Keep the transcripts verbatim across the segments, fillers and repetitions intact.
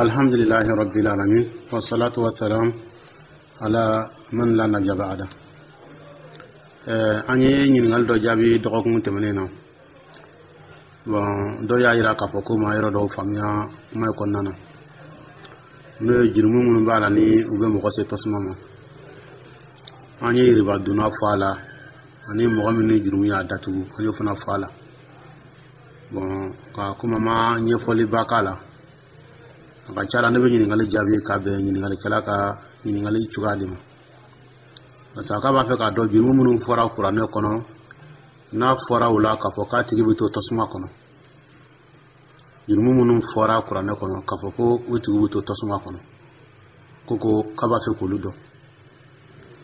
الحمد لله رب العالمين والصلاة والسلام على من لا نبي بعده. An ye ɲininkali dɔ jaabi dɔgɔkun tɛmɛnen na. Bon, dɔ y'a yira k'a fɔ ko ma yɔrɔ dɔw faamuya kuma kɔnɔna na, n'o ye jurumu minnu b'a la ni u bɛ mɔgɔ se tasuma ma. An ye yiriba donna fɔ a la, ani mɔgɔ min ni jurumu y'a datugu, an y'o fana fɔ a la. Bon, ka komi an ma ɲɛfɔliba k'a la, a ka ca la ne bɛ ɲininkali jaabi ka bɛn ɲininkalikɛla ka ɲininkali cogoya de ma, parce que k'a b'a fɛ k'a dɔn jurumu minnu fɔra Kuranɛ kɔnɔ, n'a fɔra o la k'a fɔ k'a tigi bɛ to tasuma kɔnɔ. Jurumu minnu fɔra Kuranɛ kɔnɔ k'a fɔ ko o tigi bɛ to tasuma kɔnɔ, ko ko k'a b'a fɛ k'olu dɔn.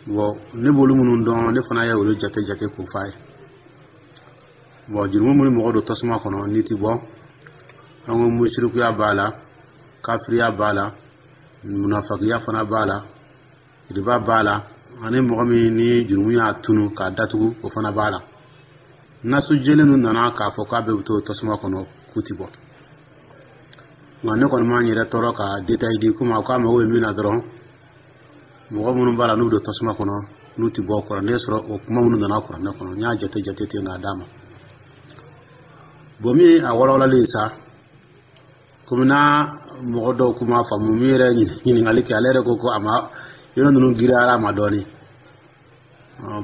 Bon, ne b'olu minnu dɔn, ne fana ye olu jate jate k'o f'a ye. Bon, jurumu minnu mɔgɔ don tasuma kɔnɔ n'i ti bɔ, an ko musirikuya b'a la, kafiriya b'a la, munafakiya fana b'a la, riba b'a la, ani mɔgɔ min ni jurumu y'a tunu k'a datugu, o fana b'a la. Nasu jɛlen ninnu nana k'a fɔ k'a bɛɛ bɛ to tasuma kɔnɔ k'u ti bɔ. Nka ne kɔni m'an yɛrɛ tɔɔrɔ ka détail di, komi a k'a mago bɛ min na dɔrɔn, mɔgɔ minnu b'a la n'u bɛ don tasuma kɔnɔ n'u ti bɔ, Kuranɛ sɔrɔ o kuma minnu nana Kuranɛ kɔnɔ, n y'a jate jate ten k'a d'a ma. Bon, min ye a walawalali ye sa, komi n'a mɔgɔ dɔw kuma faamu, min yɛrɛ ɲininkali kɛ, ale yɛrɛ ko ko a ma yɔrɔ ninnu giriyara a ma dɔɔni.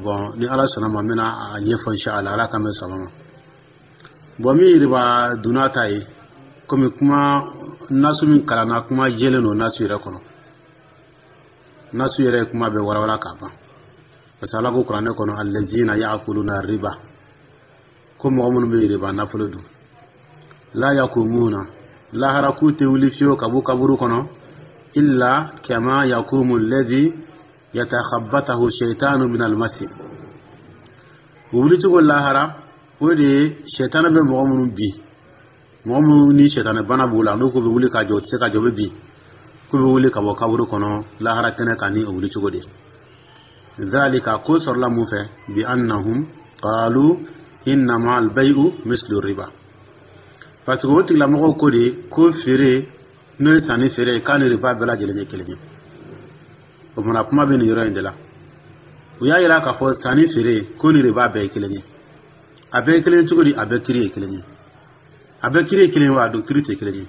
Bon, ni Ala sɔnna ma, n bɛna a ɲɛfɔ inshallah, Ala k'an bɛ saba ma. Bon, min yiriba donna ta ye, komi kuma nasu min kalanna, kuma jɛlen don nasu yɛrɛ kɔnɔ. Nasu yɛrɛ ye kuma bɛɛ walawala k'a ban, parce que Ala ko Kuranɛ kɔnɔ: allazina ya'kuluna riba, ko mɔgɔ minnu bɛ yiriba nafolo dun, la yakumuna, lahara k'u tɛ wuli fiyewu ka bɔ kaburu kɔnɔ, illa kama yakumu alladhi yatakhabbatahu shaytanu min almasi. U wulicogo lahara, o de ye sɛtanɛ bɛ mɔgɔ minnu bin, mɔgɔ minnu ni sɛtanɛ bana b'u la, n'u ko bɛ wuli ka jɔ, u tɛ se ka jɔ, u bɛ bin, k'u bɛ wuli ka bɔ kaburu kɔnɔ lahara kɛnɛ kan ni o wulicogo de ye. Dhalika, ko sɔrɔla mun fɛ? Bi annahum qalu innama albay'u mislu riba, parce que o tigilamɔgɔw ko de ko feere, n'o ye sanni feere ye, k'a ni riba bɛɛ lajɛlen ye kelen ye. O kumana, kuma bɛ nin yɔrɔ in de la. U y'a yira k'a fɔ sanni feere ko ni riba bɛɛ ye kelen ye. A bɛɛ ye kelen ye cogo di? A bɛɛ kiri ye kelen ye. A bɛɛ kiri ye kelen ye wa? A don kiri tɛ kelen ye.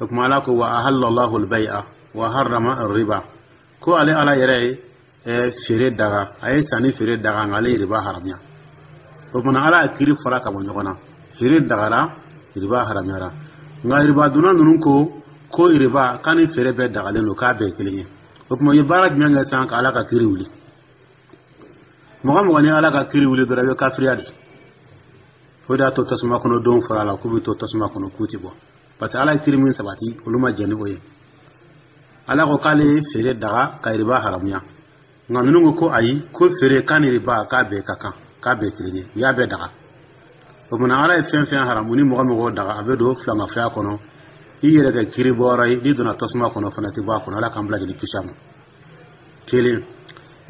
O kuma, Ala ko: wa ahallallahu albay'a wa harrama riba, ko ale Ala yɛrɛ ye feere daga, a ye sanni feere daga, nka ale ye riba haramuya. O kumana, Ala ye kiri fara ka bɔ ɲɔgɔn na: feere dagara, riba haramuyara. Nka riba donna ninnu ko ko riba k'a ni feere bɛɛ dagalen don, k'a bɛɛ ye kelen ye. O tuma, u ye baara jumɛn kɛ sisan ka Ala ka kiri wuli? Mɔgɔ mɔgɔ ni Ala ka kiri wuli dɔrɔn, i bɛ kafiriya de. O de y'a to tasuma kɔnɔ don fɔra a la k'u bɛ to tasuma kɔnɔ k'u ti bɔ, parce que Ala ye kiri min sabati, olu ma jɛn ni o ye. Ala ko k'ale ye feere daga ka riba haramuya, nka ninnu ko ko ayi, ko feere k'a ni riba k'a bɛɛ ka kan, k'a bɛɛ kelen ye, u y'a bɛɛ daga. O kumana, Ala ye fɛn fɛn haramu, ni mɔgɔ mɔgɔ daga, a bɛ don filankafoya kɔnɔ, i yɛrɛ kɛ kiri bɔyɔrɔ ye. N'i donna tasuma kɔnɔ fana, tɛ bɔ a kɔnɔ. Ala k'an bila jeli kisi a ma. Kelen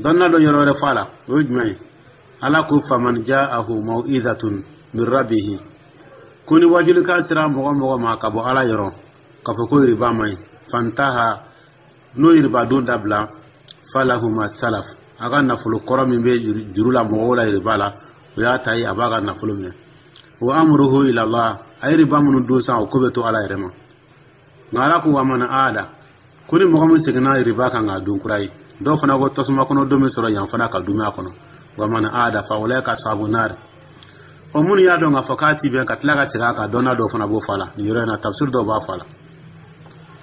dɔnna dɔ yɔrɔ wɛrɛ fɔ a la, o ye jumɛn ye? Ala ko: faman ja'ahu mau'izatun min rabbihi, ko ni wajulikan sera mɔgɔ mɔgɔ ma ka bɔ Ala yɔrɔ k'a fɔ ko riba man ɲi, fantaha, n'o ye riba don dabila, falahu ma salaf, a ka nafolo kɔrɔ min bɛ juru la mɔgɔw la riba la, o y'a ta ye, a b'a ka nafolo minɛ. Wa amruhu ila Allah, a ye riba minnu dun san, o ko bɛ to Ala yɛrɛ ma. Nka Ala ko: wa man aada, ko ni mɔgɔ min seginna riba kan k'a dun kura ye, dɔw fana ko tasuma kɔnɔ don bɛ sɔrɔ yan fana ka dumuni a kɔnɔ. Wa man aada fa ulaika ashabu nar. O minnu y'a dɔn k'a fɔ k'a ti bɛn ka tila ka segin a kan, dɔnna dɔw fana b'o fɔ a la nin yɔrɔ in na. Tafsir dɔw b'a fɔ a la,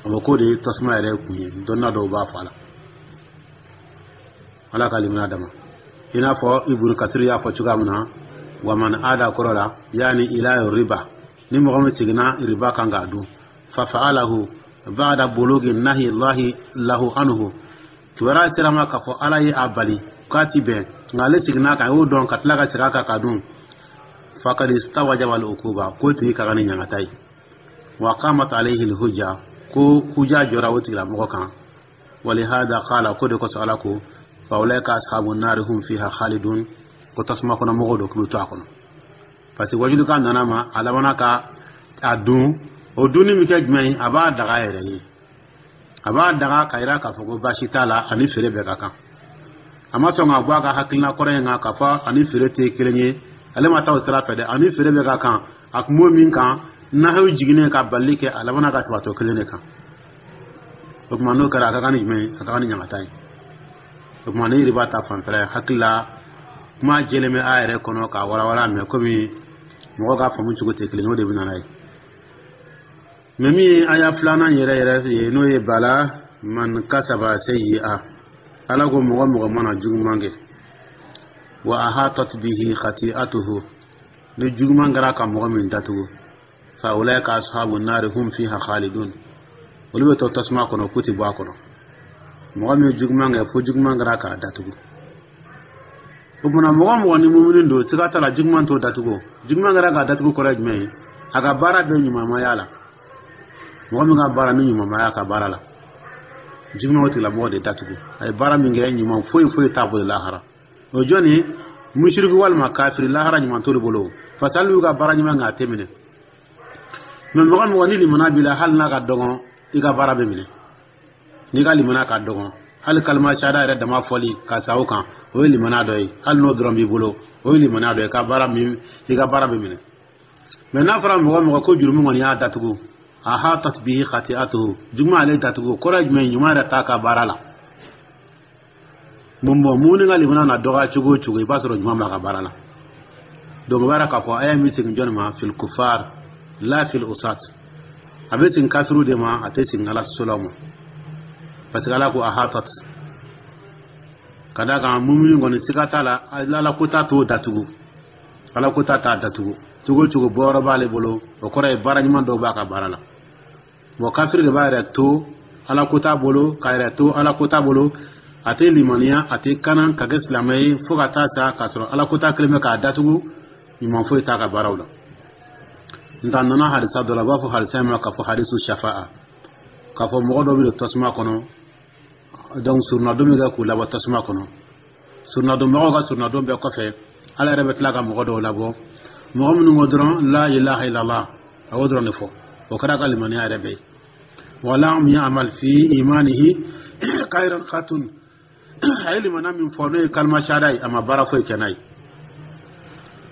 o bɛ k'o de ye tasuma yɛrɛ kun ye. Dɔnna dɔw b'a fɔ a la, Ala ka limaniya dama. I n'a fɔ Ibunu Kasiri y'a fɔ cogoya min na, wa man aada kɔrɔ la yaani ila riba, ni mɔgɔ min seginna riba kan k'a dun, fa fa'alahu ba'da bulugi nahi Allahi lahu anhu, kibaruya sera ma k'a fɔ Ala ye a bali k'a ti bɛn, nka ale seginna kan, a y'o dɔn ka tila ka segin a kan k'a dun, fakad istawjaba al-uquba, k'o tigi ka kan ni ɲangata ye. Wa qamat alayhi al-hujja, ko huja jɔra o tigilamɔgɔ kan. Walihada qala, ko de kosɔn Ala ko: fa ulaika ashabu nari hum fiha khalidun, ko tasuma kɔnɔ mɔgɔw don, k'u bɛ to a kɔnɔ, parce que wajulikan nana ma, a labanna ka a dun. O dunni bɛ kɛ jumɛn ye? A b'a daga yɛrɛ ye, a b'a daga ka yira k'a fɔ ko baasi t'a la, ani feere bɛɛ ka kan. A ma sɔn ka bɔ a ka hakilina kɔrɔ in kan k'a fɔ ani feere tɛ kelen ye. Ale ma taa o sira fɛ dɛ, ani feere bɛɛ ka kan. A kun b'o min kan, nahayu jiginnen ka balili kɛ, a labanna ka sabatɔ kelen de kan. O tuma n'o kɛra, a ka kan ni jumɛn ye? A ka kan ni ɲangata ye. O tuma ni riba ta fanfɛla ye, hakili la kuma jɛlen bɛ a yɛrɛ kɔnɔ k'a walawala, mɛ komi mɔgɔ ka faamu cogo tɛ kelen ye, o de bɛ na n'a ye. Mɛ min ye aya filanan yɛrɛ yɛrɛ ye, n'o ye bala man kasaba sayyi'a, Ala ko mɔgɔ mɔgɔ mana juguman kɛ, wa ahatat bihi khati'atuhu, ni juguman kɛra ka mɔgɔ min datugu, fa ulaika ashabu nari hum fiha khalidun, olu bɛ to tasuma kɔnɔ, k'u tɛ bɔ a kɔnɔ. Mɔgɔ min ye juguman kɛ fo juguman kɛra k'a datugu, o tuma mɔgɔ mɔgɔ ni mumuni don, siga t'a la juguman t'o datugu. Juguman kɛra k'a datugu kɔrɔ ye jumɛn ye? A ka baara bɛɛ ɲumanmaya la. Mɔgɔ min ka baara ni ɲumanmaya ka baara la, juguman o tigilamɔgɔ de datugu. A ye baara min kɛ, ɲuman foyi foyi t'a bolo lahara. O jɔnni? Musiriku walima kafiri, lahara ɲuman t'olu bolo, parce que hali y'u ka baara ɲuman kɛ, a tɛ minɛ. Mɛ mɔgɔ mɔgɔ ni limana b'i la, hali n'a ka dɔgɔn, i ka baara bɛ minɛ. N'i ka limana ka dɔgɔn, hali kalima sahada yɛrɛ dama fɔli ka sa o kan, o ye limana dɔ ye. Hali n'o dɔrɔn b'i bolo, o ye limana dɔ ye, ka baara min, i ka baara bɛ minɛ. Mɛ n'a fɔra mɔgɔ mɔgɔ ko jurumu kɔni y'a datugu, ahatat bihi khati'atuhu, juguman ale datugu, kɔrɔ ye jumɛn ye? Ɲuman yɛrɛ t'a ka baara la. Mun bɔn mumuni ka limana na dɔgɔya cogo o cogo, i b'a sɔrɔ ɲuman b'a ka baara la. Donc o b'a yira k'a fɔ aya min segin jɔnni ma? Fil kufar la fil usat. A bɛ segin kafiru de ma, a tɛ segin Ala sɔsɔlaw ma, parce que Ala ko ahatat. Ka d'a kan mumuni kɔni, siga t'a la, Ala ko t'a t'o datugu, Ala ko t'a t'a datugu cogo o cogo, bɔyɔrɔ b'ale bolo. O kɔrɔ ye baara ɲuman dɔw b'a ka baara la. Bon, kafiri de b'a yɛrɛ to Ala ko t'a bolo, k'a yɛrɛ to Ala ko t'a bolo, a tɛ limaniya, a tɛ kana ka kɛ silamɛ ye fo ka taa sa, k'a sɔrɔ Ala ko t'a kelen bɛ k'a datugu, ɲuman foyi t'a ka baaraw la. Nka a nana hadisa dɔ la, u b'a fɔ hadisa in ma k'a fɔ hadisu shafa'a, k'a fɔ mɔgɔ dɔ bɛ don tasuma kɔnɔ. Donc surunadon bɛ kɛ k'u labɔ tasuma kɔnɔ. Surunadonbagaw ka surunadon bɛɛ kɔfɛ, Ala yɛrɛ bɛ tila ka mɔgɔ dɔw labɔ, mɔgɔ minnu ko dɔrɔn la ilaha illallah, a y'o dɔrɔn de fɔ, o kɛra ka limaniya yɛrɛ bɛɛ ye. Walam ya'mal fi imanihi khairan khatun, a ye limaniya min fɔ, n'o ye kalima shahada ye, a ma baara foyi kɛ n'a ye.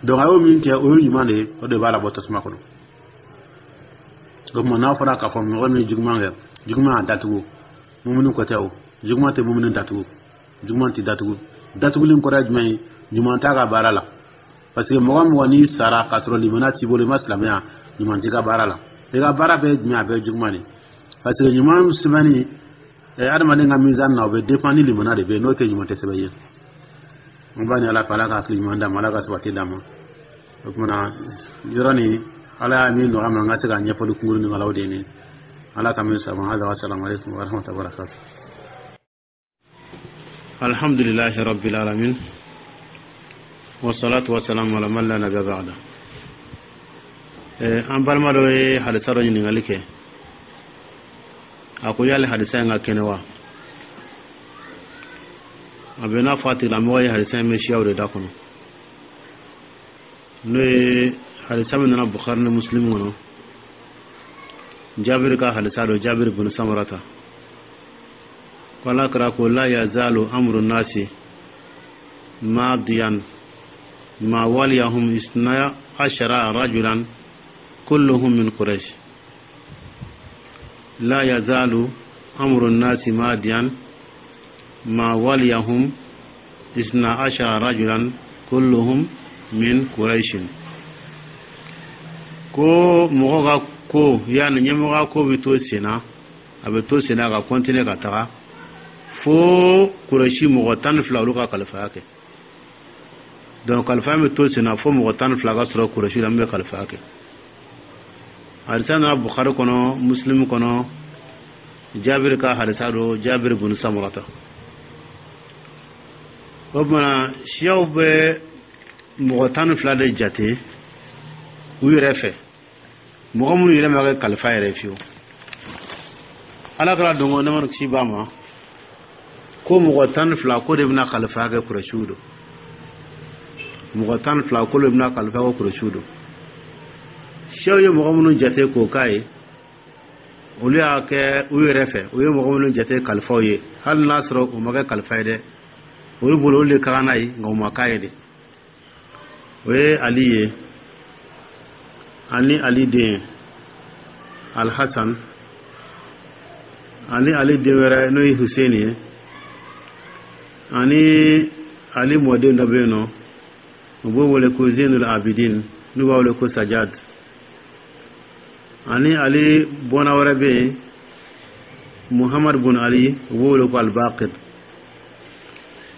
Donc a y'o min kɛ, o ye ɲuman de ye, o de b'a labɔ tasuma kɔnɔ. O tuma n'a fɔra k'a fɔ mɔgɔ min ye juguman kɛ, juguman y'a datugu, mumuni ko tɛ o, juguman tɛ mumuni datugu, juguman tɛ datugu. Datuguli kɔrɔ ye jumɛn ye? Ɲuman t'a ka baara la, parce que mɔgɔ mɔgɔ n'i sara k'a sɔrɔ limaniya t'i bolo, i ma silamɛya, ɲuman t'i ka baara la. I ka baara bɛɛ ye jumɛn? A bɛɛ ye juguman de, parce que ɲuman sɛbɛnni adamaden ka mizan na, o bɛ dépend ni limaniya de bɛ yen. N'o tɛ, ɲuman tɛ sɛbɛn ye. An b'a ni Ala fɛ, Ala ka hakili ɲuman d'a ma, Ala ka sabati d'a ma. O tuma na yɔrɔ nin, Ala y'a min nɔgɔya ma, n ka se ka ɲɛfɔli kunkurunin k'a la, o de ye nin. Ala ka min saba. Hada, wa salamu alaikum wa rahmatullahi wa barakatuh. Alhamdulillahi rabbil alamin, wassalatu wassalamu ala man la nabiyya ba'da. An balima dɔ ye hadisa dɔ ɲininkali kɛ. A ko yali hadisa in ka kɛnɛ wa? A bɛ n'a fɔ a tigilamɔgɔ ye hadisa in bɛ siyaw de da kɔnɔ, n'o ye hadisa min nana Bukhari ni Muslim kɔnɔ, Jabiri ka hadisa dɔ, Jabiri bin Samarata, ko Ala kɛra ko la yazalu amru nasi madiyan ma waliyahum isna ashara rajulan kulluhum min quraish. La yazalu amru nasi madiyan ma waliyahum isna ashara rajulan kulluhum min quraishin. Ko mɔgɔ ka ko, yani ɲɛmɔgɔ ko bɛ to sen na, a bɛ to sen na ka continuer ka taga fo Kurɛsi mɔgɔ tan ni fila, olu ka kalifaya kɛ. Donc kalifaya bɛ to sen na fo mɔgɔ tan ni fila ka sɔrɔ Kurɛsi la min bɛ kalifaya kɛ. Hadisa nana Bukhari kɔnɔ, Muslim kɔnɔ, Jabiri ka hadisa don, Jabiri bin Samurata. O tuma siyaw bɛ mɔgɔ tan ni fila de jate u yɛrɛ fɛ, mɔgɔ minnu yɛrɛ ma kɛ kalifa yɛrɛ fiyewu. Ala kɛra dɔn ko nɛma kisi b'a ma, ko mɔgɔ tan ni fila ko de bɛna kalifa kɛ Kurɛsiw don. Mɔgɔ tan ni fila ko de bɛna kalifa kɛ Kurɛsiw don. Siyaw ye mɔgɔ minnu jate k'o k'a ye. Olu y'a kɛ u yɛrɛ fɛ, u ye mɔgɔ minnu jate kalifaw ye, hali n'a sɔrɔ u ma kɛ kalifa ye dɛ, olu bolo olu de ka kan n'a ye, nka u ma k'a ye de. O ye Ali ye, ani Ali den Alhasan, ani Ali den wɛrɛ n'o ye Hussein ye, ani Ali mɔden dɔ bɛ yen nɔ, u b'o wele ko Zenul Abidin, n'u b'a wele ko Sajad, ani Ali bɔnna wɛrɛ bɛ yen, Muhammad bun Ali, u b'o wele ko Albaqir.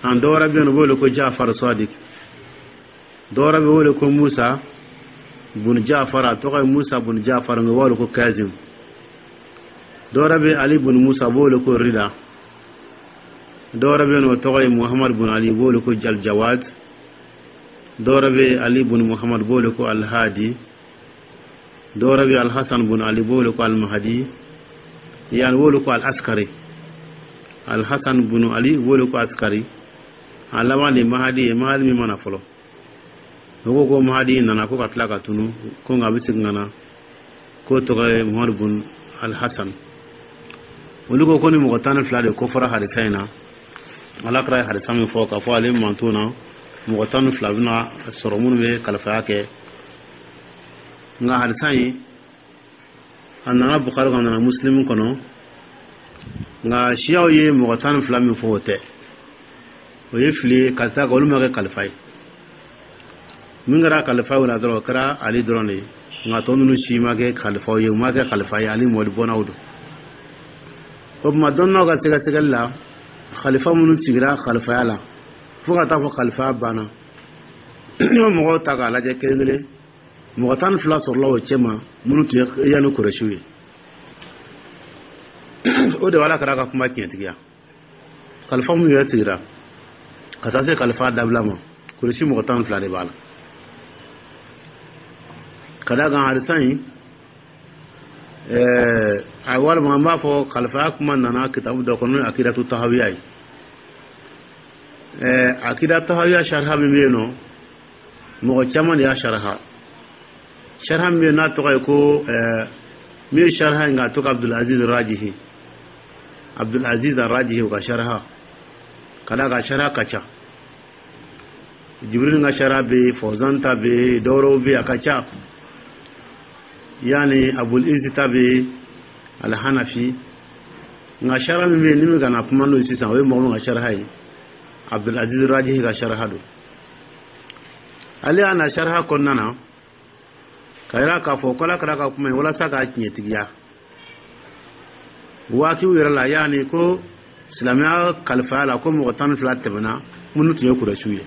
An dɔ wɛrɛ bɛ yen, u b'o wele ko Jafar Sadiq. Dɔ wɛrɛ bɛ wele ko Musa bun Jafar, a tɔgɔ ye Musa bun Jafar, nka u b'a wele ko Kazim. Dɔ wɛrɛ bɛ Ali bun Musa, u b'o wele ko Rida. Dɔ wɛrɛ bɛ yen, o tɔgɔ ye Muhammad bun Ali, u b'o wele ko Aljawad. Dɔ wɛrɛ bɛ Ali bun Muhammad, u b'o wele ko Alhadi. Dɔ wɛrɛ bɛ Alhasan bun Ali, u b'o wele ko Almahadi, yani u b'o wele ko Al-Askari. Alhasan bun Ali, u b'o wele ko Askari. A laban de Mahadi ye, Mahadi min mana fɔlɔ. O ko ko Mahadi nana ko ka tila ka tunu, ko nka a bɛ segin ka na, k'o tɔgɔ ye Muhammad bun Alhasan. Olu ko ko ni mɔgɔ tan ni fila de kofɔra hadisa in na. Ala kɛra ye hadisa min fɔ k'a fɔ ale manton na, mɔgɔ tan ni fila bɛna sɔrɔ minnu bɛ kalifaya kɛ. Nka hadisa in, a nana Bukari kɔnɔ, a nana Musilimu kɔnɔ, nka siyaw ye mɔgɔ tan ni fila min fɔ, o tɛ, o ye fili ye, ka taa kan olu ma kɛ kalifa ye. Min kɛra kalifa ye o la dɔrɔn, o kɛra Ali dɔrɔn de ye, nka tɔ ninnu si ma kɛ kalifaw ye, u ma kɛ kalifa ye, Ali mɔdi bɔnnaw don. O tuma, dɔnnaw ka sɛgɛsɛgɛli la, kalifa minnu sigira kalifaya la fo ka taa fɔ kalifaya banna, n'i ma mɔgɔw ta k'a lajɛ kelen kelen, mɔgɔ tan ni fila sɔrɔla o cɛ ma minnu tun ye yanni Kurɛsiw ye. O de b'Ala kɛra ka kuma tiɲɛtigiya. Kalifa minnu yɛrɛ sigira ka taa se kalifa dabila ma, Kurɛsi mɔgɔ tan ni fila de b'a la. Ka d'a kan hadisa in, ɛɛ a walima an b'a fɔ kalifaya kuma nana kitabu dɔ kɔnɔ, n'o ye Akidatu Tahawiya ye. ɛɛ akida Tahawiya sariha min bɛ yen nɔ, mɔgɔ caman de y'a sariha. Sariha min bɛ yen n'a tɔgɔ ye ko ɛɛ min ye sariha in k'a tɔgɔ Abdulaziz Rajihi, Abdulaziz Rajihi, o ka sariha, ka d'a kan sariha ka ca. Jibril ka sariha bɛ yen, Fawzan ta bɛ yen, dɔwɛrɛw bɛ yen, a ka ca, yani Abul Izi ta bɛ yen, Alhanafi. Nka sariha min bɛ yen ni min kana kuma n'o ye sisan, o ye mɔgɔ min ka sariha ye, Abdulaziz Rajihi ka sariha don. Ale y'a na sariha kɔnɔna na ka yira k'a fɔ k'Ala kɛra ka kuma ye walasa k'a tiɲɛtigiya waatiw yɛrɛ la, yaani ko silamɛya kalifaya la, ko mɔgɔ tan ni fila tɛmɛna minnu tun ye Kurɛsiw ye.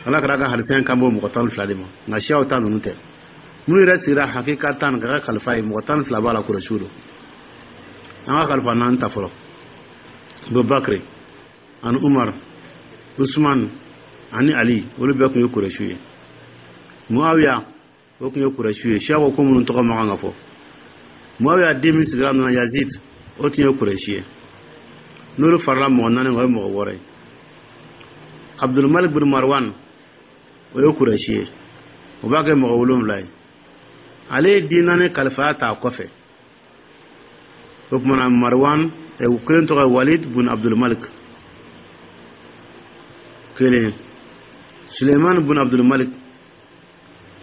Ala kɛra ka hadisa in kan bɔ mɔgɔ tan ni fila de ma, nka siyaw ta ninnu tɛ. Minnu yɛrɛ sigira hakika tan ka kɛ kalifa ye, mɔgɔ tan ni fila b'a la, Kurɛsiw don. An ka kalifa naani ta fɔlɔ: Abubakar ani Umar, Usman ani Ali, olu bɛɛ tun ye Kurɛsiw ye. Muawiya, o tun ye Kurɛsiw ye. Siya ko ko minnu tɔgɔ ma kan ka fɔ. Muawiya den min sigira nɔ na, Yazid, o tun ye Kurɛsi ye. N'olu farala mɔgɔ naani kan, o ye mɔgɔ wɔɔrɔ ye. Abdulmalik bin Marwan, o ye Kurɛsi ye, o b'a kɛ mɔgɔ wolonwula ye. Ale ye den naani kalifaya ta a kɔfɛ. O kumana Marwan kelen tɔgɔ ye Walid bun Abdulmalik kelen, Suleiman bun Abdulmalik,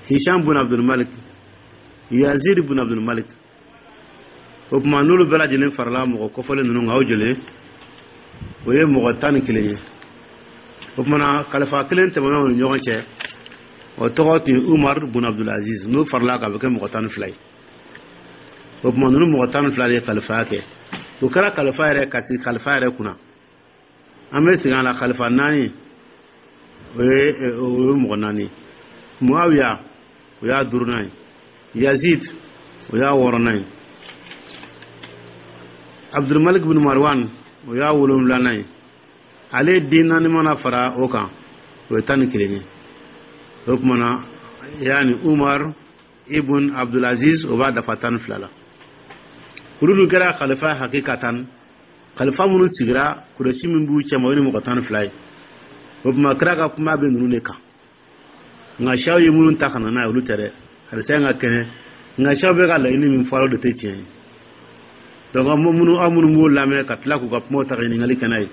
Hisham bun Abdulmalik, Yazid bun Abdulmalik. O tuma, n'olu bɛɛ lajɛlen farala mɔgɔ kɔfɔlen ninnu kan, o joli o ye? Mɔgɔ tan ni kelen ye. O kumana kalifa kelen tɛmɛna u ni ɲɔgɔn cɛ, o tɔgɔ tun ye Umar bun Abdulaziz. N'o farala kan, a bɛ kɛ mɔgɔ tan ni fila ye. O tuma, ninnu mɔgɔ tan ni fila de ye kalifaya kɛ. O kɛra kalifa yɛrɛ ka sigi kalifa yɛrɛ kunna. An bɛ segin a la, kalifa naani, o ye o ye mɔgɔ naani. Muawiya, o y'a duurunan ye. Yazid, o y'a wɔɔrɔnan ye. Abdulmalik bin Marwan, o y'a wolonwulanan ye. Ale den naani mana fara o kan, o ye tan ni kelen ye. O tuma na, yaani Umar ibn Abdulaziz, o b'a dafa tan ni fila la. Olu dun kɛra kalifa hakikatan. Kalifa minnu sigira, Kurɛsi min b'u cɛma, o ye ni mɔgɔ tan ni fila ye. O tuma, kira ka kuma bɛ ninnu de kan, nka siyaw ye minnu ta ka na n'a ye, olu tɛ dɛ. Hadisa in ka kɛnɛ, nka siyaw bɛ ka laɲini min fɔ, o de tɛ tiɲɛ ye. Donc aw minnu aw minnu b'o lamɛn ka tila k'u ka kumaw ta ka ɲininkali kɛ n'a ye,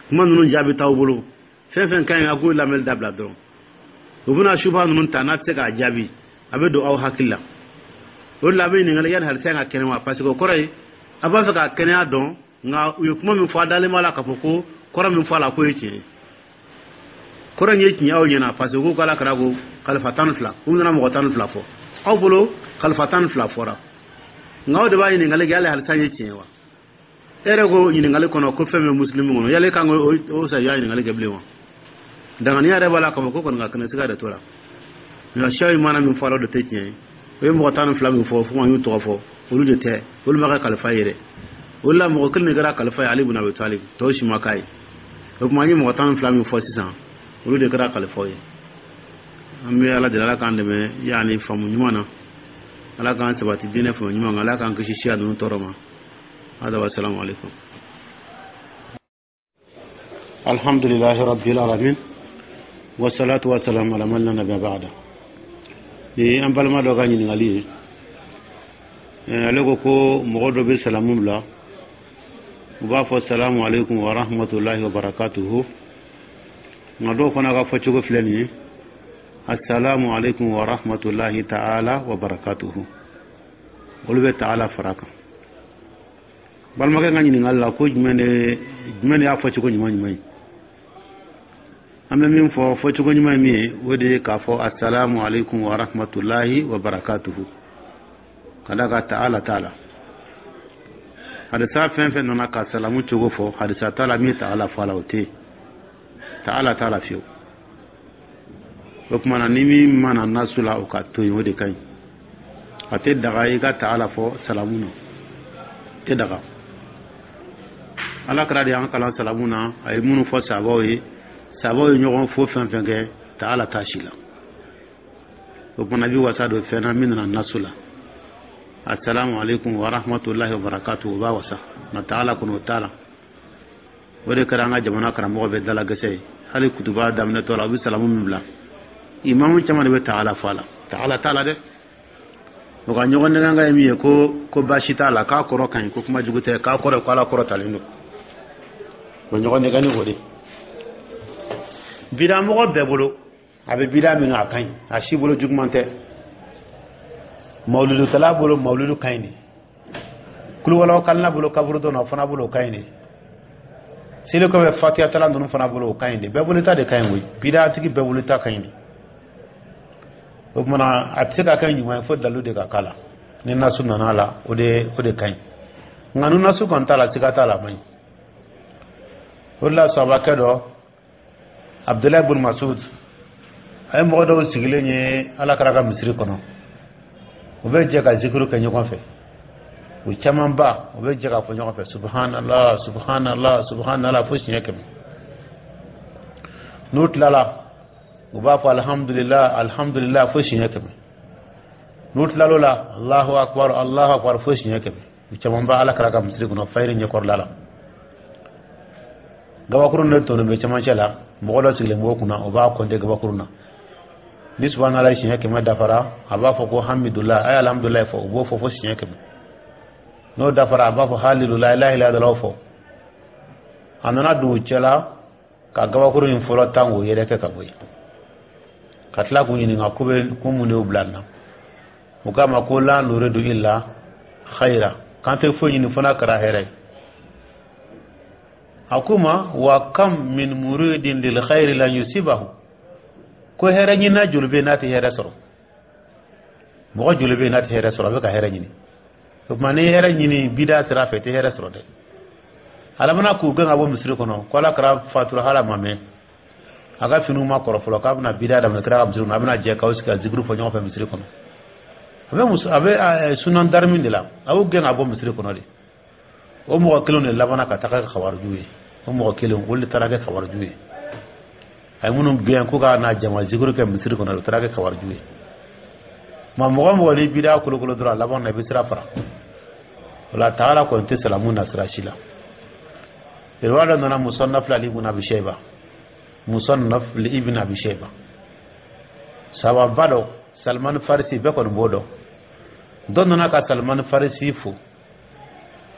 kuma ninnu jaabi t'aw bolo. Fɛn fɛn ka ɲi, a k'o lamɛnli dabila dɔrɔn. U bɛna suba ninnu ta n'a tɛ se k'a jaabi, a bɛ don aw hakili la. O de la a bɛ ɲininkali yanni halisa ka kɛnɛ wa, parce que o kɔrɔ ye a b'a fɛ ka kɛnɛya dɔn. Nka u ye kuma min fɔ, a dalen b'a la k'a fɔ ko kɔrɔ min fɔ a la k'o ye tiɲɛ ye. Kɔrɔ in ye tiɲɛ aw ɲɛna, parce que ko k'ala kɛra ko kalifa tan ni fila, u nana mɔgɔ tan ni fila fɔ aw bolo, kalifa tan ni fila fɔra. Nka aw de b'a ɲininkali kɛ, hali halisa ye tiɲɛ wa? E yɛrɛ ko ɲininkali kɔnɔ ko fɛn bɛ musulimi kɔnɔ, yali kan k'o sa y'a ɲininkali kɛ bilen wa? Danganiya yɛrɛ b'a la k'a fɔ ko kɔni ka kɛnɛ siga de t'o la. Nka siyaw ye mana min fɔ a la, o de tɛ tiɲɛ ye. O ye mɔgɔ tan ni fila min fɔ, fo an y'u tɔgɔ fɔ, olu de tɛ, olu ma kɛ kalifa ye dɛ. O de la mɔgɔ kelen de kɛra kalifa ye, Ali bun Abi Talib. Tɔw si ma k'a ye. O tuma an ye mɔgɔ tan ni fila min fɔ sisan, olu de kɛra kalifaw ye. An bɛ Ala deli, Ala k'an dɛmɛ yaani faamu ɲuman na, Ala k'an sabati diinɛ faamu ɲuman kan, Ala k'an kisi siya ninnu tɔɔrɔ ma. Hada wa salamu alaikum. Alhamdulillahi rabbil alamin, wasalatu wasalamu ala man la nabiyya ba'da. Ni an balima dɔ ka ɲininkali ye, ale ko ko mɔgɔ dɔ bɛ salamu bila, u b'a fɔ salamu alaikum wa rahmatullahi wa barakatuhu. Nka dɔw fana ka fɔcogo filɛ nin ye, assalamu alaikum wa rahmatullahi ta'ala wa barakatuhu. Olu bɛ ta'ala fara kan. Balimakɛ ka ɲininkali la, ko jumɛn de jumɛn de y'a fɔcogo ɲuman ɲuman ye? An bɛ min fɔ, fɔcogo ɲuman ye min ye, o de ye k'a fɔ assalamu alaikum wa rahmatullahi wa barakatuhu, ka da ka ta'ala t'a la. Hadisa fɛn fɛn nana ka salamu cogo fɔ, hadisa t'a la min ta'ala fɔ a la, o tɛ yen, ta'ala t'a la fiyewu. O tuma na, ni min mana nasu la, o ka to yen, o de ka ɲi. A tɛ daga i ka ta'ala fɔ salamu na, tɛ daga. Ala kɛra de y'an kalan salamu na, a ye minnu fɔ sabaw ye, sabaw ye ɲɔgɔn fo fɛn fɛn kɛ, ta'ala t'a si la. O tuma na, i bɛ wasa don fɛn na min nana nasu la, assalamu alaikum wa rahmatullahi wa barakatuh, o b'a wasa. Nka ta'ala kɔni, o t'a la. O de kɛra an ka jamana karamɔgɔ bɛɛ dalagɛsɛ ye. Hali kutuba daminɛtɔ la, u bɛ salamu min bila, imamu caman de bɛ ta'ala fɔ a la. Ta'ala t'a la dɛ. O ka ɲɔgɔn nɛgɛn ye min ye, ko ko baasi t'a la, k'a kɔrɔ ka ɲi, ko kuma jugu tɛ, k'a kɔrɔ ko Ala kɔrɔ talen don. O ɲɔgɔn nɛgɛn ni o de bidamɔgɔ bɛɛ bolo, a bɛ bida min, a ka ɲi, a si bolo juguman tɛ. Mawuludutala bolo, mawuludu ka ɲi de. Kuluwalaw kalina bolo, kaburu dɔn o fana bolo, o ka ɲi de. Seli kɔfɛ fatiyatala ninnu fana bolo, o ka ɲi de. Bɛɛ bolo ta de ka ɲi koyi, bidatigi bɛɛ bolo ta ka ɲi de. O tuma na, a tɛ se ka kɛ ɲuman ye fo dalu de ka k'a la. Ni nasu nana a la, o de o de ka ɲi. Nka ni nasu kɔni t'a la, siga t'a la, a man ɲi. O de la sahabakɛ dɔ, Abdulayi bun Masud, a ye mɔgɔ dɔw sigilen ye Ala kɛra ka misiri kɔnɔ, u bɛ jɛ ka zikiru kɛ ɲɔgɔn fɛ. U camanba, u bɛ jɛ k'a fɔ ɲɔgɔn fɛ subhanallah, subhanallah, subhanallah fo siɲɛ kɛmɛ. N'u tilala, u b'a fɔ alhamdulillah, alhamdulillah fo siɲɛ kɛmɛ. N'u tilal'o la, allahu akbar, allahu akbar fo siɲɛ kɛmɛ. U camanba, Ala kɛra ka misiri kɔnɔ, fayiri ɲɛkɔrɔla la, gabakurun de tonnen bɛ cɛmancɛ la. Mɔgɔ dɔ sigilen b'o kunna, o b'a kɔnte gabakurun na. Ni subhanallah siɲɛ kɛmɛ dafara, a b'a fɔ ko hamidullah, a ye alhamdulillah fɔ. U b'o fɔ fo siɲɛ kɛmɛ. N'o dafara, a b'a fɔ halilula, la ilaha illallah fɔ. A nana don u cɛla ka gabakurun in fɔlɔ tan k'o yɛrɛkɛ ka bɔ yen, ka tila k'u ɲininka ko bɛ ko mun de y'u bila nin na. U k'a ma ko la nuridu illa khayra, k'an tɛ foyi ɲini fo n'a kɛra hɛrɛ ye. A ko ma wa kam min muridin lil khayri lan yusibahu, ko hɛrɛ ɲinina joli bɛ yen n'a tɛ hɛrɛ sɔrɔ? Mɔgɔ joli bɛ yen n'a tɛ hɛrɛ sɔrɔ, a bɛ ka hɛrɛ ɲini? O tuma, n'i ye hɛrɛ ɲini bida sira fɛ, i tɛ hɛrɛ sɔrɔ dɛ. Ala mana k'u gɛn ka bɔ misiri kɔnɔ, ko Ala kɛra fatura hala ma mɛn, a ka finiw ma kɔrɔ fɔlɔ, k'a bɛna bida daminɛ kira ka misiri kɔnɔ, a bɛna jɛ k'aw sigi ka zikiru fɔ ɲɔgɔn fɛ misiri kɔnɔ. A bɛ muso a bɛ sunan darimi de la, a y'u gɛn ka bɔ misiri kɔnɔ de. O mɔgɔ kelenw de labanna ka taga kɛ kawariju ye. O mɔgɔ kelenw, olu de taara kɛ kawariju ye. A ye minnu gɛn ko ka na jama zikiru kɛ misiri kɔnɔ, o taara kɛ kawariju ye. Ma mɔgɔ mɔgɔ ni bida kolokolo dɔrɔn, a laban na i bɛ sira fara. O la taala kɔni tɛ salamu na sira si la. Riwaya dɔ nana musannaf li ibn Abi Shayba, musannaf li ibn Abi Shayba, sababa dɔ, Salman Farisi, bɛɛ kɔni b'o dɔn. Dɔ nana ka Salman Farisi fo.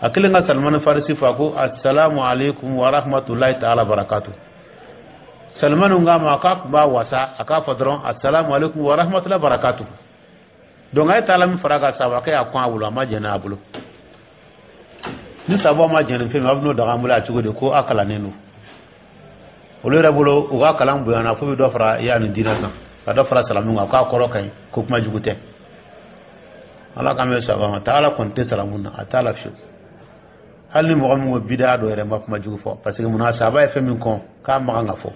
A kelen ka Salimani Farisi fɔ, a ko: "Assalamu alaikum wa rahmatullahi ta'ala barakatu." Salimani k'a ma k'a tun b'a wasa a k'a fɔ dɔrɔn: "Assalamu alaikum wa rahmatullahi barakatu." Donc a ye taala min fara kan, sabakɛ y'a kɔn a bolo, a ma jɛn n'a bolo. Ni sababu ma jɛn ni fɛn min, a bɛ n'o daga an bolo a cogo di ko a kalannen don olu yɛrɛ bolo? U ka kalan bonyana fo bɛ dɔ fara ya ni diinɛ kan, ka dɔ fara salamu kan, k'a kɔrɔ ka ɲi, ko kuma jugu tɛ. Ala k'an bɛ saba ma. Taa, Ala kɔni tɛ salamu na, a t'a la fiyewu. Hali ni mɔgɔ min ko bidaa dɔ yɛrɛ ma kuma jugu fɔ, parce que munna? Sahaba ye fɛn min kɔn k'a makan ka fɔ,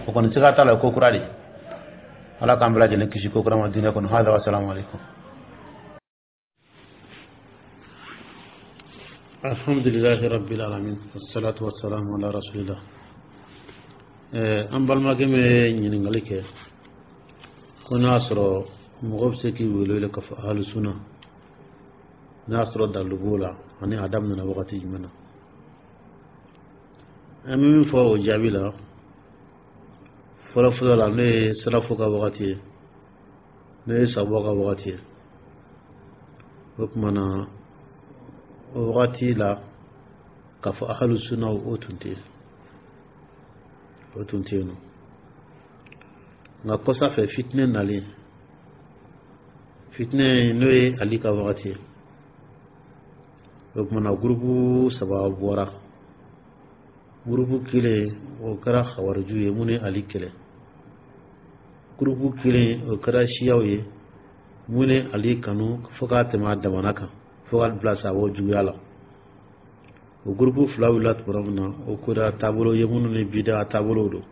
o kɔni siga t'a la, ko kura de. Ala k'an bɛɛ lajɛlen kisi ko kura ma diinɛ kɔnɔ. Hada wa salamu alaikum. Alhamdulilahi rabbil alamin, wassalatu wassalamu ala rasulillah. An balimakɛ min ye ɲininkali kɛ ko n'a sɔrɔ mɔgɔ bɛ se k'i wele wele k'a fɔ ahlu sunna, n'a y'a sɔrɔ dalilu b'o la, ani a daminɛna wagati jumɛn na, an bɛ min fɔ o jaabi la fɔlɔ fɔlɔ la, n'o ye salafu ka wagati ye, n'o ye sababu ka wagati ye, o tuma na o wagati la, k'a fɔ ahlu sunna, o tun tɛ yen, o tun tɛ yen nɔ. Nka kɔsa fɛ, fitinɛ nalen, fitinɛ n'o ye Ali ka wagati ye, o tuma na gurupu saba bɔra. Gurupu kelen, o kɛra hawariju ye minnu ye Ali kɛlɛ. Gurupu kelen, o kɛra siyaw ye minnu ye Ali kanu fo k'a tɛmɛ a damana kan, fo ka bila sababu juguya la. O gurupu fila wulila tuma min na, o kɛra taabolo ye minnu ni bida taabolow don.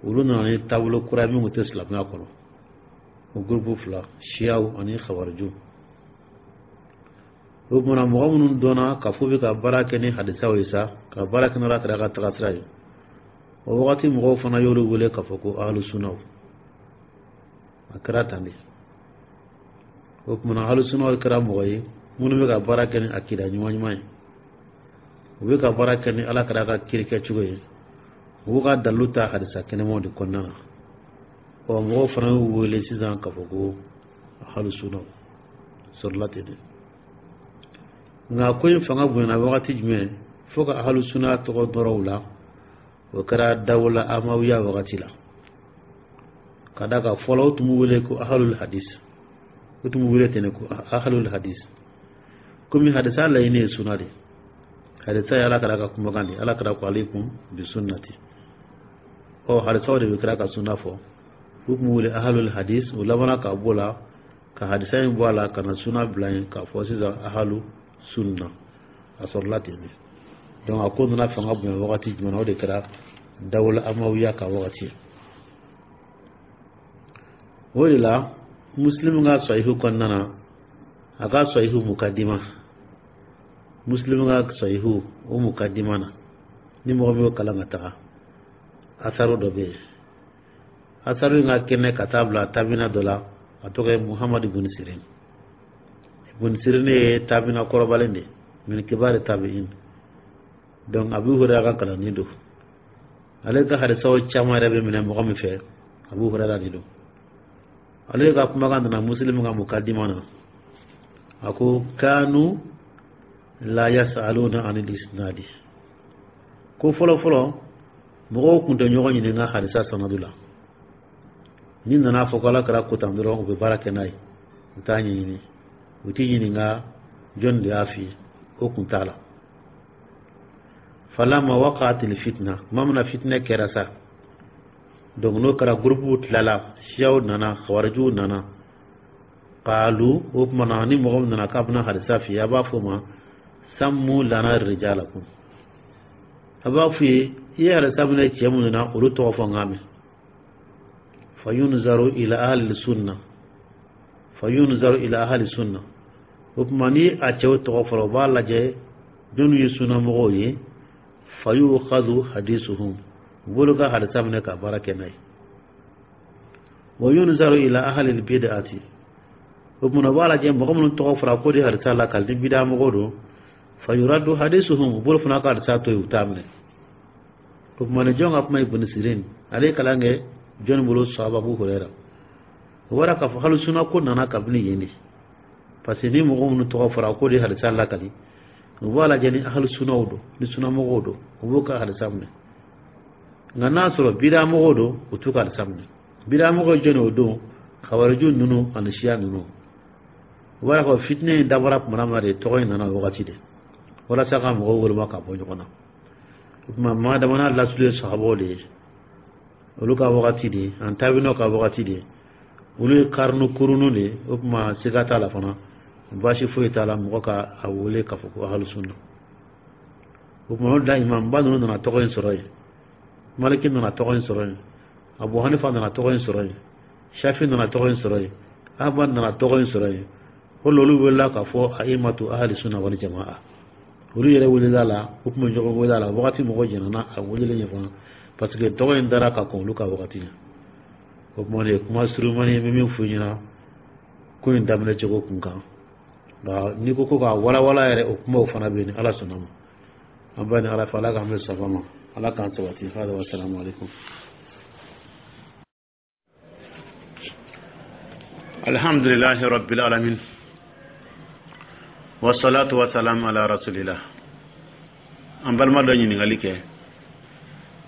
Olu nana ni taabolo kura ye min tun tɛ silamɛya kɔnɔ. O gurupu fila, siyaw ani hawariju, o tuma mɔgɔ minnu dɔnna ka fɔ bɛ ka baara kɛ ni hadisaw ye sa, ka baara kɛ n'Ala kɛra ka taga sira ye, o wagati mɔgɔw fana y'olu wele k'a fɔ ko ahlu sunnaw. A kɛra tan de. O tuma ahlu sunnaw kɛra mɔgɔ ye minnu bɛ ka baara kɛ ni akida ɲuman ɲuman ye, u bɛ ka baara kɛ ni Ala kɛra ka kiri kɛcogo ye, u b'u ka dalilu ta hadisa kɛnɛmaw de kɔnɔna na. Ɔ, mɔgɔw fana y'u wele sisan k'a fɔ ko ahlu sunnaw sɔrɔla ten de. Nka ko in fanga bonyana wagati jumɛn fo ka ahlu sunna tɔgɔ dɔrɔ u la? O kɛra dawula amawiya wagati la, ka da kan fɔlɔ o tun b'u wele ko ahlul hadis. O tun b'u wele ten ko ahlul hadis, komi hadisa laɲini ye sunna de. Hadisa ye Ala kɛra ka kumakan de. Ala kɛra ko: "Alaikum bi sunnati." Ɔ, hadisaw de bɛ kira ka sunna fɔ. U tun b'u wele ahlul hadis. O labanna ka bɔ la ka hadisa in bɔ a la ka na sunna bila yen, k'a fɔ sisan ahlu sunna. A sɔrɔla ten de. Donc a ko nana fanga bonya wagati jumɛn na? O de kɛra dawula amawiya ka wagati. O de la, Muslim ka sahihu kɔnɔna na, a ka sahihu mukadima, Muslim ka sahihu o mukadima na, ni mɔgɔ min y'o kalan ka taga, asaru dɔ bɛ yen. Asaru in ka kɛnɛ ka taa bila tabina dɔ la, a tɔgɔ ye Muhamadu bun Sirin. Bun Sirin ye tabina kɔrɔbalen de, min kibari tabi'in. Donc Abu Hurairah ka kalanden don. Ale ka hadisaw caman yɛrɛ bɛ minɛ mɔgɔ min fɛ, Abu Hurairah de don. Ale ka kumakan nana Muslim ka mukadima na, a ko: "Kanu la yasaluna anil isnadi." Ko fɔlɔ fɔlɔ, mɔgɔw tun tɛ ɲɔgɔn ɲininka hadisa sanadu la. Ni nana fɔ ko Ala kɛra ko tan dɔrɔn, u bɛ baara kɛ n'a ye, u t'a ɲɛɲini, u t'i ɲininka jɔn de y'a f'i ye, o kun t'a la. "Falama waqa'atil fitna", tuma min na fitinɛ kɛra sa, donc n'o kɛra, groupe tilala, siyaw nana, khawarijiw nana. "Qalu", o tuma na ni mɔgɔ min nana k'a bɛna hadisa f'i ye, a b'a fɔ o ma: "Sammu lana rijalakum." A b'a f'i ye: i ye hadisa minɛ cɛ minnu na, olu tɔgɔ fɔ n k'a mɛn. "Fayunzaru ila ahli sunna, fayunzaru ila ahli sunna." O tuma ni a cɛw tɔgɔ fɔra, u b'a lajɛ jɔnni ye sunnamɔgɔw ye. "Fayukhadhu hadisuhum", u b'olu ka hadisa minɛ ka baara kɛ n'a ye. "Wa yunzaru ila ahli bid'ati", o tuma u b'a lajɛ mɔgɔ minnu tɔgɔ fɔra ko de hadisa la kali ni bida mɔgɔw don. "Fayuraddu hadisuhum", u b'olu fana ka hadisa to yen, u t'a minɛ. O tuma ni jɔn ka kuma? Ibn Sirin. Ale ye kalan kɛ jɔnni bolo? Sahaba Abu Huraira. O bɔra k'a fɔ hali sunna ko nana kabini yen de. Parce que ni mɔgɔ minnu tɔgɔ fɔra k'o de ye hadisa lakali, u b'a lajɛ ni ahlu sunaw don, ni sunamɔgɔw don, u b'u ka hadisa minɛ. Nka n'a sɔrɔ bidamɔgɔw don, u t'u ka hadisa minɛ. Bidamɔgɔ jɔn o don? Kawariju ninnu ani siya ninnu. U b'a fɔ fitinɛ in dabɔra tuma min na de, tɔgɔ in nana o wagati de, walasa ka mɔgɔw woloma ka bɔ ɲɔgɔn na. O tuma maa dama n'a lasulu ye sahabaw de ye, olu ka wagati de, an tabinaw ka wagati de, olu ye karinu kurunu de ye. O tuma siga t'a la fana, baasi foyi t'a la mɔgɔ ka a wele k'a fɔ ko ahlu sunna. O tuma o da imamba ninnu nana tɔgɔ in sɔrɔ yen, Maliki nana tɔgɔ in sɔrɔ yen, Abu Hanifa nana tɔgɔ in sɔrɔ yen, Shafi nana tɔgɔ in sɔrɔ yen, Ahmad nana tɔgɔ in sɔrɔ yen. O la olu welela k'a fɔ aimatu ahli sunna wal jamaa. Olu yɛrɛ welela la, u tun bɛ ɲɔgɔn wele a la wagati. Mɔgɔ jɛnna a welelen ɲɛ fana, parce que tɔgɔ in dara ka kɔn olu ka wagati ɲɛ. O kuma de ye kuma surumani ye, n bɛ min f'u ɲɛna ko in daminɛ cogo kun kan. Nka n'i ko ko k'a walawala yɛrɛ, o kumaw fana bɛ yen. Ni Ala sɔnna ma, an b'a ni Ala fɛ, Ala k'an bɛ saba ma, Ala k'an sabati. Hada wa salamu alaikum. Alhamdulillahi rabbil alamin, wasalatu wasalam ala rasulillah. An balima dɔ ɲininkali kɛ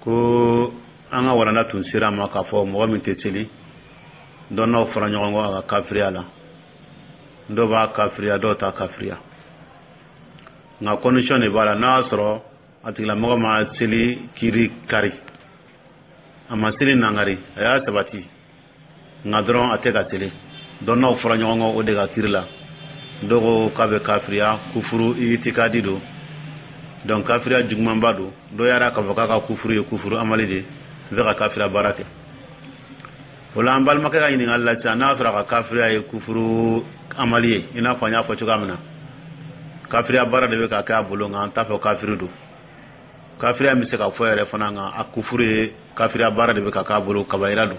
ko an ka walanda tun sera ma k'a fɔ mɔgɔ min tɛ seli, dɔnnaw fara ɲɔgɔn kɔ a ka kafiriya la. Dɔw b'a kafiriya, dɔw t'a kafiriya, nka condition de b'a la. N'a y'a sɔrɔ a tigilamɔgɔ ma seli kiri kari, a ma seli nangari, a y'a sabati, nka dɔrɔn a tɛ ka seli, dɔnnaw fɔra ɲɔgɔn kɔ o de ka kiri la. Dɔw ko k'a bɛ kafiriya, kufuru itikadi don, donc kafiriya jugumanba don. Dɔw y'a k'a fɔ k'a ka kufuru ye kufuru amali de bɛ ka kafiriya baara kɛ. O la an balimakɛ ka ɲininkali la sisan, n'a y'a sɔrɔ a ka kafiriya ye kufuru amali ye, i n'a fɔ an y'a fɔ cogoya min na, kafiriya baara de bɛ ka kɛ a bolo, nka an t'a fɔ kafiri don. Kafiriya bɛ se ka fɔ yɛrɛ fana, nka a kufuru ye kafiriya baara de bɛ ka k'a bolo, kabayira don.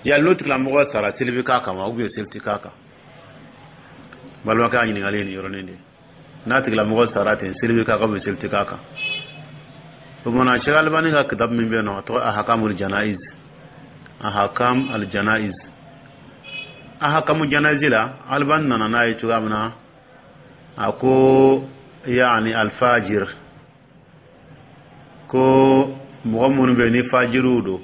Yali n'o tigilamɔgɔ sara, seli bɛ k'a kan wa, ou bien seli tɛ k'a kan? Balimakɛ ka ɲininkali ye nin yɔrɔnin de ye. N'a tigilamɔgɔ sara ten, seli bɛ k'a kan ou bien seli tɛ k'a kan? O kumana Cheikh Albani ka kitabu min bɛ yen nɔ, a tɔgɔ Ahakamul Janaiz, Ahakam al Janaiz, Ahakamu Janaiz la, Albani nana n'a ye cogoya min na, a ko yaani alfajir, ko mɔgɔ minnu bɛ yen ni fajiriw don,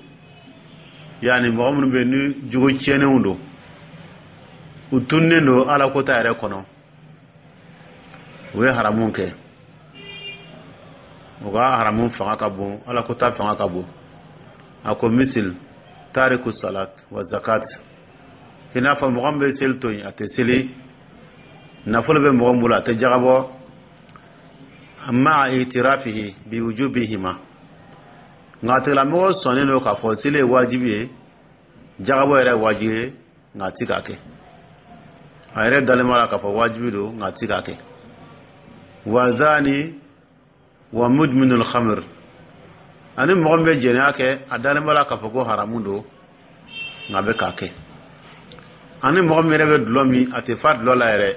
yaani mɔgɔ minnu bɛ yen ni jogo tiɲɛnenw don, u tunnen don Ala kota yɛrɛ kɔnɔ, u ye haramu kɛ, u ka haramu fanga ka bon, Ala kota fanga ka bon. A ko misil tariku salat wa zakat, i n'a fɔ mɔgɔ min bɛ seli to yen, a tɛ seli, nafolo bɛ mɔgɔ min bolo, a tɛ jagabɔ, maa itirafihi bi wujubihima, nka a tigilamɔgɔ sɔnnen don k'a fɔ seli ye wajibi ye, jagabɔ yɛrɛ ye wajibi ye, nka a ti k'a kɛ. A yɛrɛ dalen b'a la k'a fɔ wajibi don, nka a ti k'a kɛ. Wa zani wa mudminul khamr, ani mɔgɔ min bɛ jɛnɛya kɛ, a dalen b'a la k'a fɔ ko haramu don, nka a bɛ k'a kɛ. Ani mɔgɔ min yɛrɛ bɛ dulɔ min, a tɛ fa dulɔ la yɛrɛ,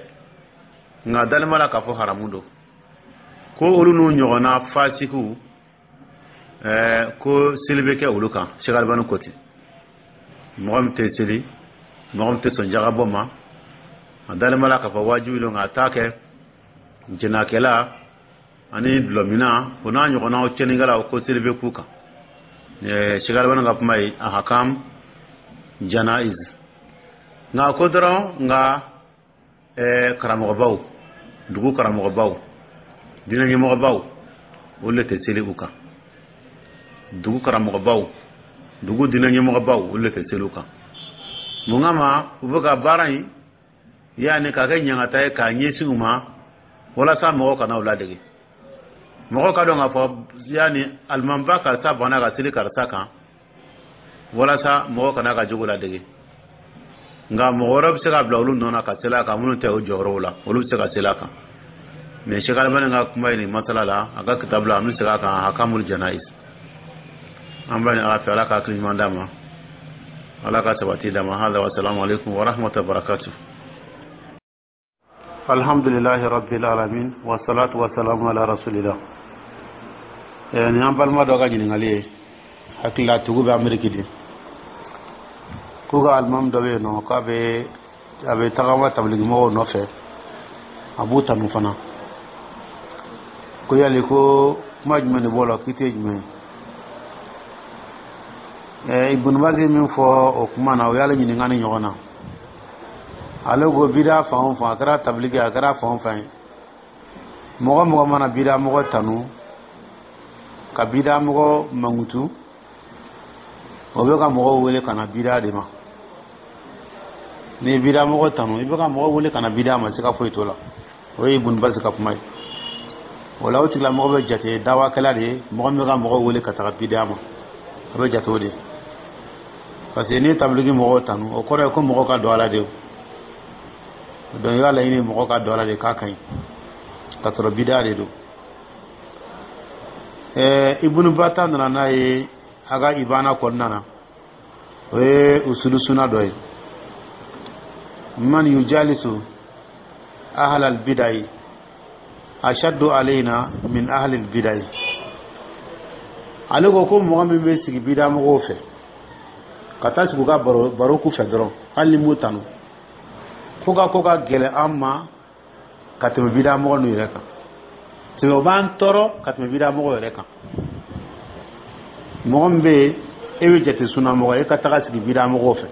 nka a dalen b'a la k'a fɔ haramu don. Ko olu n'u ɲɔgɔnna fasikiw, ɛɛ ko seli bɛ kɛ olu kan. Cheikh Albani ko ten. Mɔgɔ min tɛ seli, mɔgɔ min tɛ sɔn jagabɔ ma, a dalen b'a la k'a fɔ wajibi don, nka a t'a kɛ, jɛnɛkɛla ani dulɔminna, o n'a ɲɔgɔnnaw tiɲɛnikɛlaw, ko seli bɛ k'u kan. Cheikh Albani ka kuma ye Ahakam Janaiz. Nka ko dɔrɔn, nka ɛɛ karamɔgɔbaw, dugu karamɔgɔbaw, diinɛ ɲɛmɔgɔbaw, olu de tɛ seli u kan. Dugu karamɔgɔbaw, dugu diinɛ ɲɛmɔgɔbaw, olu de tɛ seli u kan. Mun kama? U bɛ ka baara in yaani k'a kɛ ɲangata ye k'a ɲɛsin u ma, walasa mɔgɔw kana u ladege, mɔgɔw ka dɔn k'a fɔ yaani alimamiba karisa banna ka seli karisa kan, walasa mɔgɔw kana ka jogo ladege. Nka mɔgɔ wɛrɛ bɛ se ka bila olu nɔ na ka seli a kan, minnu tɛ o jɔyɔrɔw la, olu bɛ se ka seli a kan. Mais Cheikh Albani ka kuma ye nin masala la, a ka kitabu la, an bɛ segin a kan, Hakamul Janaiz. An b'a ɲini Ala fɛ, Ala ka hakili ɲuman d'a ma, Ala ka sabati d'a ma. Hada wa salamu alaikum wa rahmatullahi wa barakatuh. Alhamdulillahi rabbil alamin, wa salatu wa salamu ala rasulillah. Nin an balima dɔ ka ɲininkali ye, hakilila tugu bɛ Ameriki de, k'u ka alimami dɔ bɛ yen nɔ k'a bɛ a bɛ tagama tabiliki mɔgɔw nɔfɛ, a b'u tanu fana. Ko yali ko kuma jumɛn de b'o la, k'i tɛ jumɛn ye? Ibn Baz ye min fɔ o kuma na, o y'ale ɲininka ni ɲɔgɔn na. Ale ko bida fan o fan, a kɛra tabiliki, a kɛra fan o fan ye, mɔgɔ mɔgɔ mana bida mɔgɔ tanu ka bida mɔgɔ mankutu, o bɛ ka mɔgɔw wele ka na bida de ma. N'i ye bida mɔgɔ tanu, i bɛ ka mɔgɔw wele ka na bida ma, siga foyi t'o la. O ye Ibn Baz ka kuma ye. O la, o tigilamɔgɔ bɛ jate dawakɛla de ye, mɔgɔ min bɛ ka mɔgɔw wele ka taga bida ma, a bɛ jate o de ye. Parce que n'i ye tabiliki mɔgɔw tanu, o kɔrɔ ye ko mɔgɔw ka don a la de. Donc i b'a laɲini mɔgɔw ka don a la de k'a ka ɲi, ka sɔrɔ bida de don. ɛɛ Ibn Bata nana n'a ye a ka Ibana kɔnɔna na, o ye usulu suna dɔ ye: man yujalisu ahlal bidai ashaddu alayna min ahlil bidai. Ale ko ko mɔgɔ min bɛ sigi bida mɔgɔw fɛ, ka taa sigi u ka baro baro k'u fɛ dɔrɔn, hali ni m'u tanu, ko ka ko ka gɛlɛn an ma ka tɛmɛ bida mɔgɔ ninnu yɛrɛ kan. Tɛmɛ o b'an tɔɔrɔ ka tɛmɛ bida mɔgɔ yɛrɛ kan. Mɔgɔ min bɛ yen, e bɛ jate sunamɔgɔ, e ka taga sigi bida mɔgɔw fɛ,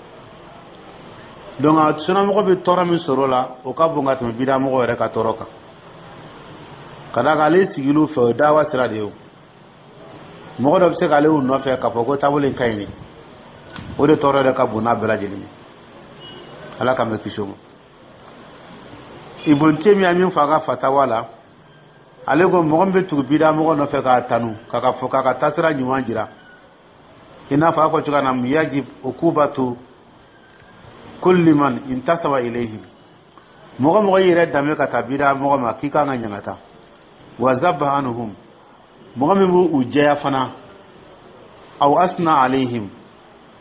donc sunamɔgɔ bɛ tɔɔrɔ min sɔrɔ o la, o ka bon ka tɛmɛ bida mɔgɔ yɛrɛ ka tɔɔrɔ kan. Ka d'a kan, ale sigil'u fɛ, o ye dawa sira de ye. O mɔgɔ dɔ bɛ se k'ale nɔfɛ k'a fɔ ko taabolo in ka ɲi, o de tɔɔrɔ yɛrɛ ka bon n'a bɛɛ lajɛlen ye. Ala k'an bɛ kisi o ma. Ibn Taymiya min fɔ a ka fatawa la, ale ko mɔgɔ min bɛ tugu bida mɔgɔ nɔfɛ k'a tanu, k'a ka fɔ k'a ka taasira ɲuman jira, i n'a fɔ a fɔ cogoya na, yajib ukubatu kulli man intasaba ilayhim, mɔgɔ mɔgɔ y'i yɛrɛ danbe ka taa bida mɔgɔ ma, k'i kan ka ɲangata. Wa zabba anhum, mɔgɔ min b'u jɛya fana, aw asna alayhim,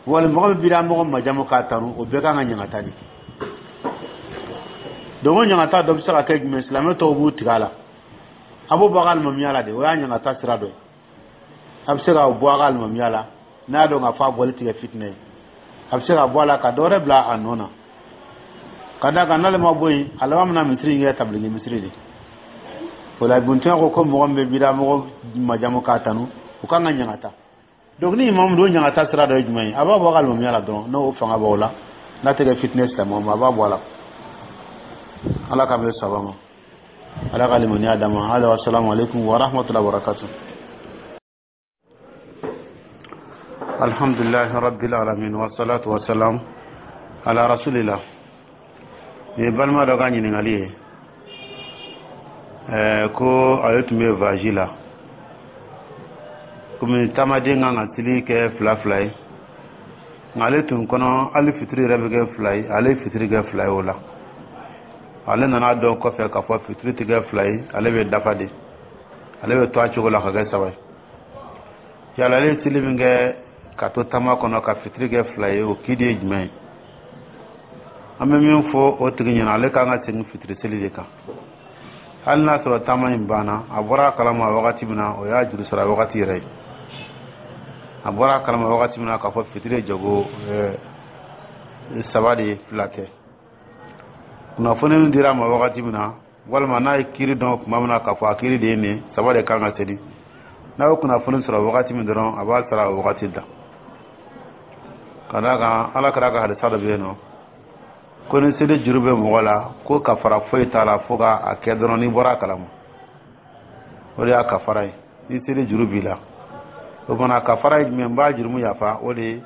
wali mɔgɔ min bida mɔgɔ majamu k'a tanu, o bɛɛ kan ka ɲangata de. Donc o ɲangata dɔ bɛ se ka kɛ jumɛn? Silamɛ tɔw b'u tigɛ a la, a b'o bɔ a ka alimamiya la de. O y'a ɲangata sira dɔ ye. A bɛ se ka bɔ a ka alimamiya la n'a y'a dɔn k'a fɔ a bɔli tigɛ fitinɛ ye. A bɛ se ka bɔ a la ka dɔ wɛrɛ bila a nɔ na. Ka d'a kan, n'ale ma bɔ yen, a laban bɛna misiri in kɛ tabiliki misiri de. O la, Ibn Taymiya ko ko mɔgɔ min bɛ bida mɔgɔ majamu k'a tanu, o kan ka ɲangata. Donc ni imamu don, ɲangata sira dɔ ye jumɛn ye? A b'a bɔ a ka alimamiya la dɔrɔn. N'o fanga b'o la, n'a tɛ kɛ fitinɛ silamɛw ma, a b'a bɔ a la. Ala k'an bɛ saba ma, Ala ka limaniya d'an ma. Hada, wassalamu alaikum wa rahmatullahi wa barakatuh. Alhamdulillahi rabbil alamin, wassalatu wassalam ala rasulillah. Nin ye balima dɔ ka ɲininkali ye. ɛɛ ko ale tun bɛ voyage la, komi taamaden kan ka seli kɛ fila fila ye, nka ale tun kɔnɔ hali fitiri yɛrɛ bɛ kɛ fila ye. Ale ye fitiri kɛ fila ye. O la, ale nana dɔn kɔfɛ k'a fɔ fitiri tɛ kɛ fila ye, ale bɛ dafa de, ale bɛ to a cogo la ka kɛ saba ye. Yala ale ye seli min kɛ ka to taama kɔnɔ ka fitiri kɛ fila ye, o kidi ye jumɛn ye? An bɛ min fɔ o tigi ɲɛna, ale kan ka segin fitiri seli de kan, hali n'a sɔrɔ taama in banna. A bɔra a kalama wagati min na, o y'a juru sara wagati yɛrɛ ye. A bɔra a kalama wagati min na k'a fɔ fitiri ye jago saba de ye, fila tɛ, kunnafoni min dira a ma wagati min na, walima n'a ye kiiri dɔn tuma min na k'a fɔ a kiiri de ye nin, saba de kan ka seli, n'a ye kunnafoni sɔrɔ wagati min dɔrɔn, a b'a sara o wagati da. Ka d'a kan, Ala kɛra ka hadisa dɔ bɛ yen nɔ ko ni seli juru bɛ mɔgɔ la, ko kafara foyi t'a la fo ka a kɛ dɔrɔn n'i bɔra a kalama. O de y'a kafara ye. Ni seli juru b'i la, o fana kafara ye jumɛn? N b'a jurumu yafa, o de ye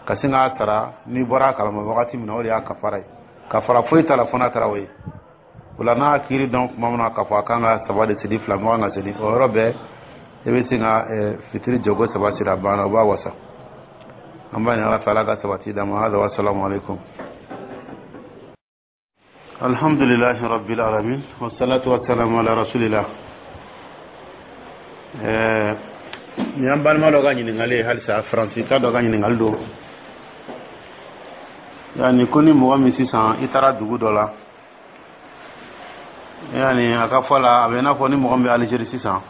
ka sin k'a sara n'i bɔra a kalama wagati min na. O de y'a kafara ye. Kafara foyi t'a la fo n'a kɛra o ye. O la, n'a kiiri dɔn tuma min na k'a fɔ a kan ka saba de seli, fila mɔgɔ kan ka seli, o yɔrɔ bɛɛ i bɛ sin ka fitiri jɔko saba siri, a banna, o b'a wasa. An b'a ɲini Ala fɛ, Ala ka sabati d'an ma. Hada, wassalamu alaikum. Alhamdulillahi rabbil alamin, wassalatu wassalamu ala rasulillah. ɛɛ nin y'an balima dɔ ka ɲininkali ye halisa, Faransi ka dɔ ka ɲininkali don. Yani ko ni mɔgɔ min sisan i taara dugu dɔ la, yani a ka fɔ la, a bɛ i n'a fɔ ni mɔgɔ min bɛ Alizeri sisan,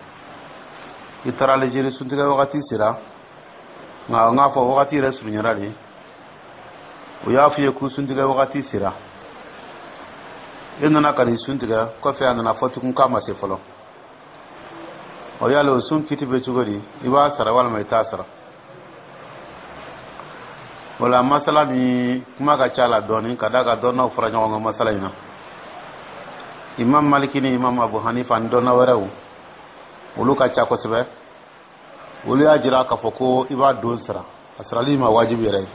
i taara Alizeri, suntigɛ wagati sera, nka n k'a fɔ wagati yɛrɛ surunyara de, o y'a f'i ye ko suntigɛ wagati sera. E nana ka nin sun tigɛ, kɔfɛ a nana fɔ tugun k'a ma se fɔlɔ. O yala, o sun kiti bɛ cogo di? I b'a sara walima i t'a sara? O la, masala ni kuma ka ca la dɔɔni, ka d'a kan dɔnnaw fara ɲɔgɔn kan masala in na. Imam Maliki ni Imam Abu Hanifa ani dɔnna wɛrɛw, olu ka ca kosɛbɛ. Olu y'a jira k'a fɔ ko i b'a don sara, a sarali ma wajibi yɛrɛ ye.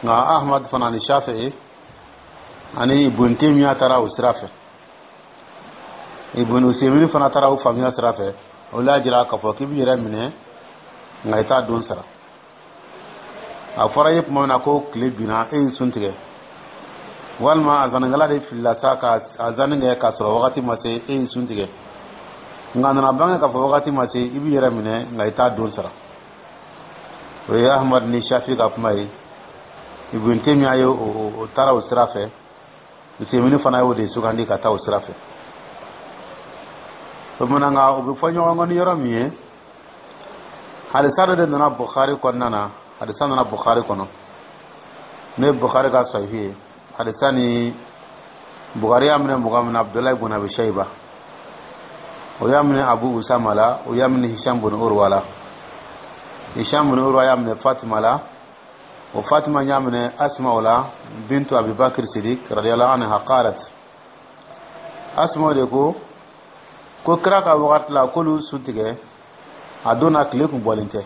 Nka Ahmad fana ni Shafi'i ani Ibn Taymiya taara o sira fɛ, Ibn Usaymin fana taara o faamuya sira fɛ. Olu y'a jira k'a fɔ k'i b'i yɛrɛ minɛ, nka i t'a don sara. A fɔra i ye tuma min na ko tile binna, e y'i sun tigɛ, walima a zannikɛla de filila sa ka a zanni kɛ k'a sɔrɔ wagati ma se, e y'i sun tigɛ, nka a nana bange k'a fɔ wagati ma se, i b'i yɛrɛ minɛ, nka i t'a don sara. O ye Ahmad ni Shafi ka kuma ye. Ibn Taymiya ye o taara o sira fɛ, Usaymin fana y'o de sugandi ka taa o sira fɛ. O tuma, nka u bɛ fɔ ɲɔgɔn kɔ ni yɔrɔ min ye, hadisa dɔ de nana Bukhari kɔnɔna na. Hadisa nana Bukhari kɔnɔ, n'o ye Bukhari ka sahihi ye. Hadisa ni Bukhari y'a minɛ mɔgɔ min na, Abdullahi ibn Abi Shayba, o y'a minɛ Abu Usama la, o y'a minɛ Hisham bin Urwa la. Hisham bin Urwa y'a minɛ Fatima la, o Fatima y'a minɛ Asma o la bintu Abubakar Sidik radiyallahu anha. Qalat, Asma de ko ko kira ka wagati la, k'olu sun tigɛ a don na, tile kun bɔlen tɛ.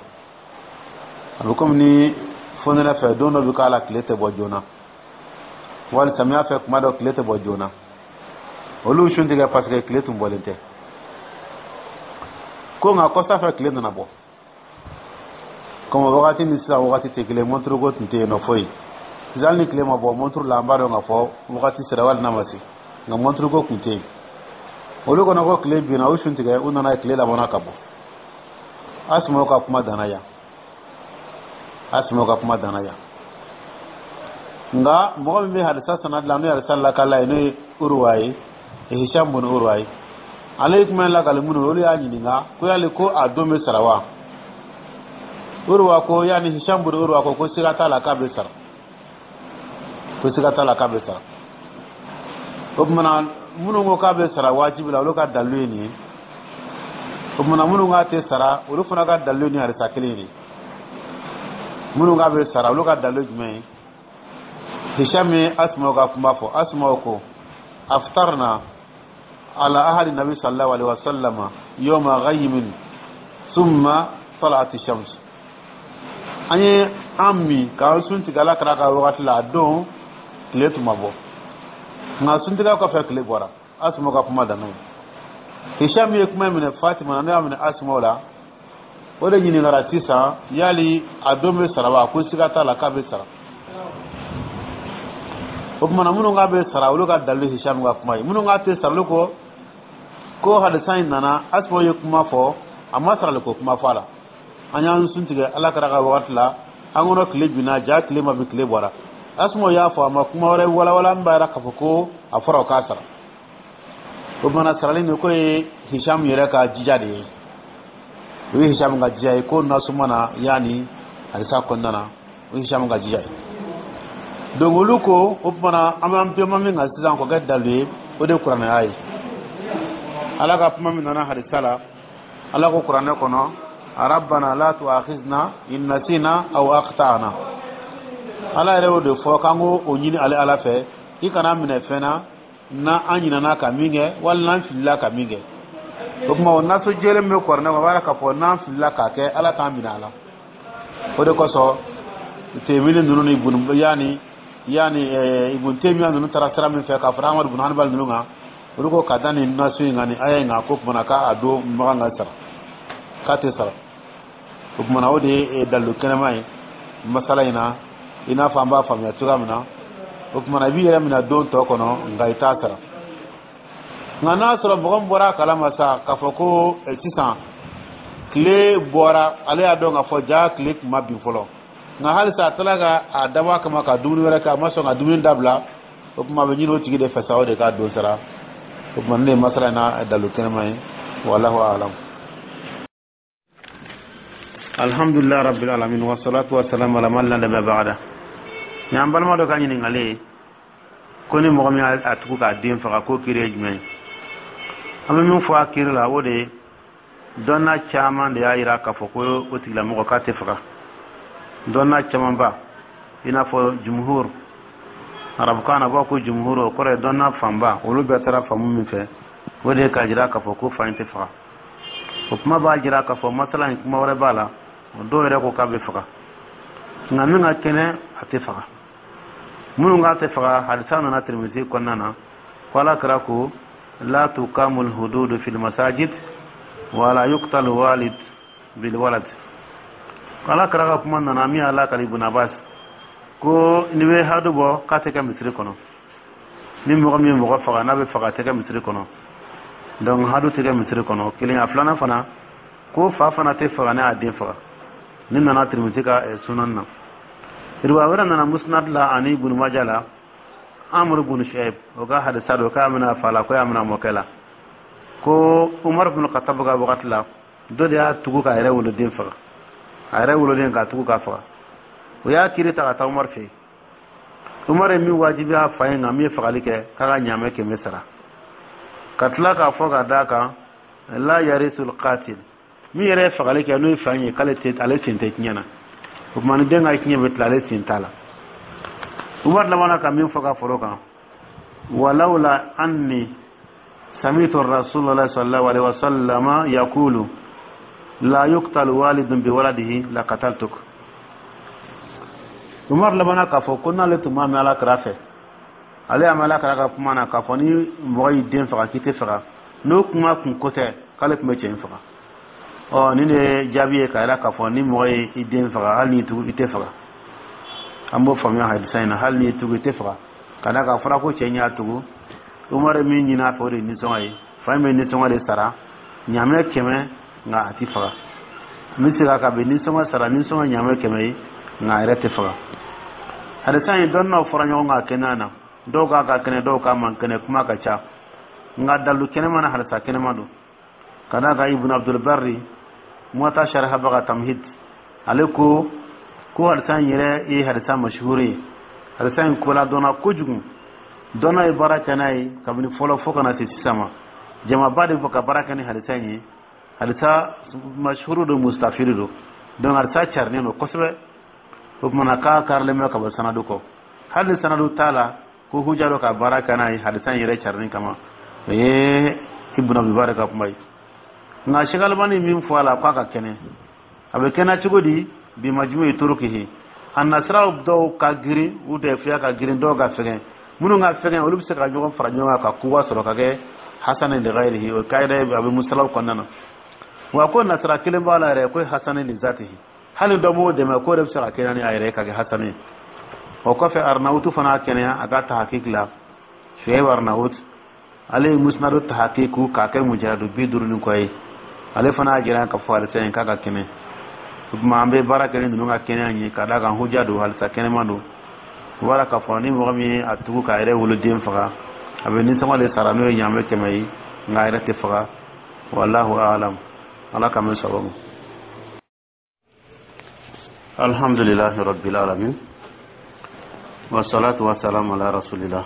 A bɛ komi ni fonɛnɛ fɛ, don dɔ bɛ k'a la, tile tɛ bɔ joona, wali samiya fɛ, kuma dɔ tile tɛ bɔ joona. Olu sun tigɛ parce que tile tun bɔlen tɛ. Ko nka kɔsa fɛ, tile nana bɔ. Komi wagati ni sisan wagati tɛ kelen, montre ko tun tɛ yen nɔ foyi. Sisan, hali ni tile ma bɔ montre la, an b'a dɔn k'a fɔ wagati sera wali n'a ma se, nka montre ko tun tɛ yen. Olu kɔnɔ ko tile binna, u sun tigɛ, u nana ye tile labɔnna ka bɔ. Asuma ka kuma danna yan. Asuma ka kuma danna yan. Nka mɔgɔ min bɛ hadisa sanad la, n'o ye hadisa lakala ye, n'o ye Uruwa ye, Hisham bin Uruwa ye, ale ye kuma in lakali minnu, olu y'a ɲininka ko yali ko a don bɛ sara wa? Uruwa ko, yani Hisham bin Uruwa ko ko siga t'a la k'a bɛ sara, ko siga t'a la k'a bɛ sara. O tuma na, minnu ko k'a bɛ sara wajibi la, olu ka dalilu ye nin ye. O tuma na, minnu k'a tɛ sara, olu fana ka dalilu ni hadisa kelen ye. Minnu k'a bɛ sara, olu ka dalilu jumɛn ye? Hisham ye Asma ka kuma fɔ. Asma ko: aftarna ala ahadi nabi sallallahu alaihi wasallam yawma ghaymin thumma talat shams. An ye an min k'an sun tigɛ Ala kira ka wagati la, a don tile tun ma bɔ, nka suntigɛ kɔfɛ, tile bɔra. Asma ka kuma danna ye. Hisham ye kuma minɛ Fatima, n'o y'a minɛ Asma la, o de ɲininkara sisan: yali a don bɛ sara wa? Ko siga t'a la k'a bɛ sara. O tuma na, minnu k'a bɛ sara, olu ka dalilu Hisham ka kuma ye. Minnu k'a tɛ sara, olu ko ko hadisa in nana, Asma ye kuma fɔ, a ma sarali ko kuma fɔ a la. An y'an sun tigɛ Ala kira ka wagati la, an kɔnɔ tile binna, ja tile ma bin, tile bɔra. Asma y'a fɔ, a ma kuma wɛrɛ walawala min b'a yira k'a fɔ ko a fɔra o k'a sara. O tuma na, sarali nin ko ye Hisham yɛrɛ ka jija de ye. O ye Hisham ka jija ye ko nasuma na, yanni hadisa kɔnɔna na, o ye Hisham ka jija ye. Donc olu ko, o tuma na, an b'an bɛnba min kan sisan k'o kɛ dalilu ye, o de ye kuranɛya ye. Ala ka kuma min nana hadisa la, Ala ko kuranɛ kɔnɔ: rabbana la tu'akhizna in nasina aw akhtana. Ala yɛrɛ y'o de fɔ k'an k'o o ɲini ale Ala fɛ, i kana minɛ fɛn na na an ɲinana ka min kɛ, wali n'an filila ka min kɛ. O tuma, o naso jɛlen bɛ kuranɛ kɔnɔ, o b'a yira k'a fɔ n'an filila k'a kɛ, Ala k'an minɛ a la. O de kosɔn, Temini ninnu ni Ibn, yani yani Ibn Taymiya ninnu taara sira min fɛ k'a fara Ahmad ibn Hanbal ninnu kan, olu ko ka da nin naso in kan, nin aya in kan, ko tuma na k'a don makan ka sara, k'a tɛ sara. O tuma na, o de ye dalilu kɛnɛma ye masala in na, i n'a fɔ an b'a faamuya cogoya min na. O tuma na, i b'i yɛrɛ minɛ don tɔ kɔnɔ, nka i t'a sara. Nka n'a sɔrɔ mɔgɔ min bɔra a kalama sa k'a fɔ ko sisan tile bɔra, ale y'a dɔn k'a fɔ ja tile tun ma bin fɔlɔ, nka halisa a taara ka a dabɔ a kama ka dumuni wɛrɛ kɛ, a ma sɔn ka dumuni dabila, o tuma a bɛ ɲini o tigi de fɛ sa, o de k'a don sara. O tuma, ne ye masala in na dalilu kɛnɛma ye. Wallahu alam. Alhamdulillah rabbil alamin, wa salatu wa salam ala man la nabiyya ba'da. Ni an balima dɔ ka ɲininkali ye. Ko ni mɔgɔ min y'a tugu k'a den faga, k'o kiri ye jumɛn ye? An bɛ min fɔ a kiri la, o de ye dɔnna caman de y'a yira k'a fɔ ko o tigilamɔgɔ k'a tɛ faga. Dɔnna camanba, i n'a fɔ jumhur, arabukan na b'a ko jumhur, o kɔrɔ ye dɔnna fanba, olu bɛɛ taara faamu min fɛ, o de ye k'a jira k'a fɔ ko fa in tɛ faga. O kuma b'a jira k'a fɔ masala in, kuma wɛrɛ b'a la. O dɔw yɛrɛ ko k'a bɛ faga, nka min ka kɛnɛ, a tɛ faga. Minnu k'a tɛ faga, hadisa nana Tirimisi kɔnɔna na ko Ala kira ko: la tuqamul hududu fil masajid wala yuqtal walid bil walad. Ala kira ka kuma nana min y'a lakali Ibn Abbas, ko n'i bɛ hadu bɔ, k'a tɛ kɛ misiri kɔnɔ. Ni mɔgɔ min ye mɔgɔ faga, n'a bɛ faga, a tɛ kɛ misiri kɔnɔ. Donc hadu tɛ kɛ misiri kɔnɔ, kelen. A filanan fana, ko fa fana tɛ faga ne y'a den faga. Ni nana Tirimisi ka sunan na. Riwaya wɛrɛ nana Musnad la ani Ibn Majah la, Amr ibn Shu'aib o ka hadisa don, k'a bɛna fa la, ko y'a bɛna mɔkɛ la, ko Umar ibn Khattab ka wagati la, dɔ de y'a tugu k'a yɛrɛ woloden faga, a yɛrɛ woloden k'a tugu k'a faga. O y'a kiri ta ka taa Umar fɛ yen. Umar ye min wajibiya fa ye, nka min ye fagali kɛ, k'a ka ɲaamɛ kɛmɛ sara, ka tila k'a fɔ ka d'a kan: la yarisul qatil. Min yɛrɛ ye fagali kɛ, n'o ye fa ye, k'ale tɛ, ale sen tɛ tiɲɛ na. O tuma ni den ka tiɲɛ bɛ tila, ale sen t'a la. Umar labanna ka min fɔ ka foro kan: walawla anni sami'tu Rasulullah sallallahu alaihi wasallam yaqulu la yuqtal walidun bi waladihi la qataltuk. Umar labanna k'a fɔ ko n'ale tun m'a mɛn Ala kira fɛ, ale y'a mɛn Ala kira ka kuma na k'a fɔ ni mɔgɔ y'i den faga k'i tɛ faga, n'o kuma kun ko tɛ, k'ale tun bɛ cɛ in faga. Ɔ, nin de ye jaabi ye k'a yira k'a fɔ ni mɔgɔ ye i den faga, hali n'i tugu, i tɛ faga. An b'o faamuya hadisa in na, hali n'i tugu, i tɛ faga, ka d'a kan a fɔra ko cɛ in y'a tugu. Umar ye min ɲini a fɛ, o de ye nisɔngɔ ye. Fa in bɛ nisɔngɔ de sara, ɲaamɛ kɛmɛ, nka a ti faga. N bɛ segin a kan, a bɛ nisɔngɔ sara, nisɔngɔ ɲaamɛ kɛmɛ ye, nka a yɛrɛ tɛ faga. Hadisa in, dɔnniyaw fɔra ɲɔgɔn kan a kɛnɛya na. Dɔw k'a ka kɛnɛ, dɔw k'a man kɛnɛ, kuma ka ca, nka dalu kɛnɛma na, hadisa kɛnɛma don, ka d'a kan Ibn Abdulbari, Muwata sarihabaga, Tamhid, ale ko ko hadisa in yɛrɛ ye hadisa mashuhuri ye. Hadisa in kola dɔnna kojugu, dɔnna ye baara kɛ n'a ye kabini fɔlɔ fo kana se sisan ma. Jamaba de bɛ ka baara kɛ ni hadisa in ye. Hadisa mashuhuru don, mustafiri don. Donc hadisa carinen don kosɛbɛ. O tuma na k'a karilen bɛ ka bɔ sanadu kɔ. Hali ni sanadu t'a la, ko huja dɔ ka baara kɛ n'a ye hadisa in yɛrɛ carinin kama. O ye Ibn Abdulbari ka kuma ye. Nka Sheikh Albani min fɔ a la k'a ka kɛnɛ, a bɛ kɛnɛ cogo di? Bi majmu turukihi, a nasiraw dɔw ka girin, u dɛfiya ka girin, dɔw ka fɛgɛn. Minnu ka fɛgɛn, olu bɛ se ka ɲɔgɔn fara ɲɔgɔn kan ka kuwa sɔrɔ ka kɛ hasani li ghayrihi. O kayida a bɛ musalaw kɔnɔna na. Wa ko nasira kelen b'a la yɛrɛ, ko hasani li zatihi, hali dɔ m'o dɛmɛ, k'o de bɛ se ka kɛnɛ ni a yɛrɛ ye ka kɛ hasani ye. O kɔfɛ, Arnawutu fana kɛnɛya a ka tahakiki la. Shuaib Arnawut, ale ye musnadu tahakiku k'a kɛ mujahadu bi duuru ni kɔ ye. Ale fana y'a jira k'a fɔ halisa in k'a ka kɛnɛ. O tuma an bɛ baara kɛ ni ninnu ka kɛnɛya ye, ka d'a kan huja don, halisa kɛnɛma don. O b'a la k'a fɔ ni mɔgɔ min ye a tugu k'a yɛrɛ woloden faga, a bɛ nisɔngɔ de sara, n'o ye ɲaamɛ kɛmɛ ye, nka a yɛrɛ tɛ faga. Wallahu a'lam. Ala k'an bɛ sababu ma. Alhamdulillahi rabbil alamin, wassalatu wassalamu ala rasulillah.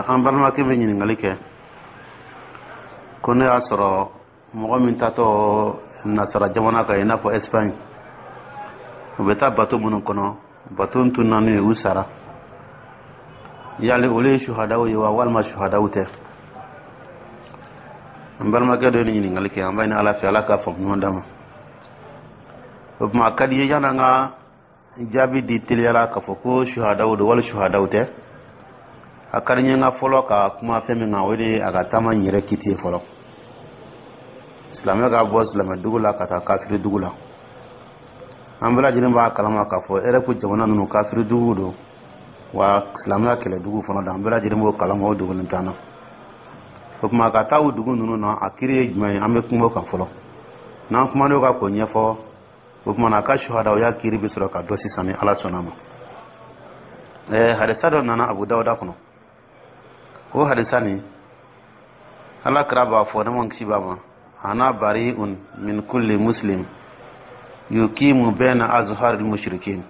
An balimakɛ bɛ ɲininkali kɛ ko ne y'a sɔrɔ mɔgɔ min tatɔ nasara jamana kan, i n'a fɔ Espagne, u bɛ taa bato minnu kɔnɔ, bato tun naani ye, u sara, yali olu ye suhadaw ye wa, walima suhadaw tɛ? An balimakɛ dɔ ye nin ɲininkali kɛ. An b'a ɲini Ala fɛ, Ala k'a faamu ɲuman d'a ma. O tuma a ka di ye, yanni an ka jaabi di teliyala k'a fɔ ko suhadaw don wali suhadaw tɛ, a ka di n ye n ka fɔlɔ ka kuma fɛn min kan, o de ye a ka taama in yɛrɛ kiti ye fɔlɔ. Silamɛ ka bɔ silamɛ dugu la ka taa kafiri dugu la, an bɛɛ lajɛlen b'a kalama k'a fɔ Erɔpu jamana ninnu kafiri dugu don, wa silamɛya kɛlɛ dugu fana don. An bɛɛ lajɛlen b'o kalama, o dogolen t'an na. O tuma ka taa o dugu ninnu na, a kiri ye jumɛn ye? An bɛ kuma o kan fɔlɔ. N'an kuman'o kan k'o ɲɛfɔ, o tuma na a ka suhadawya kiri bɛ sɔrɔ ka dɔn sisan, ni Ala sɔnna a ma. Ɛɛ hadisa dɔ nana Abu Dawuda kɔnɔ. O hadisa nin, Ala kira b'a fɔ, ne ma kisi b'a ma: ana bari'un min kulli muslim yukimu bayna azharil mushrikin.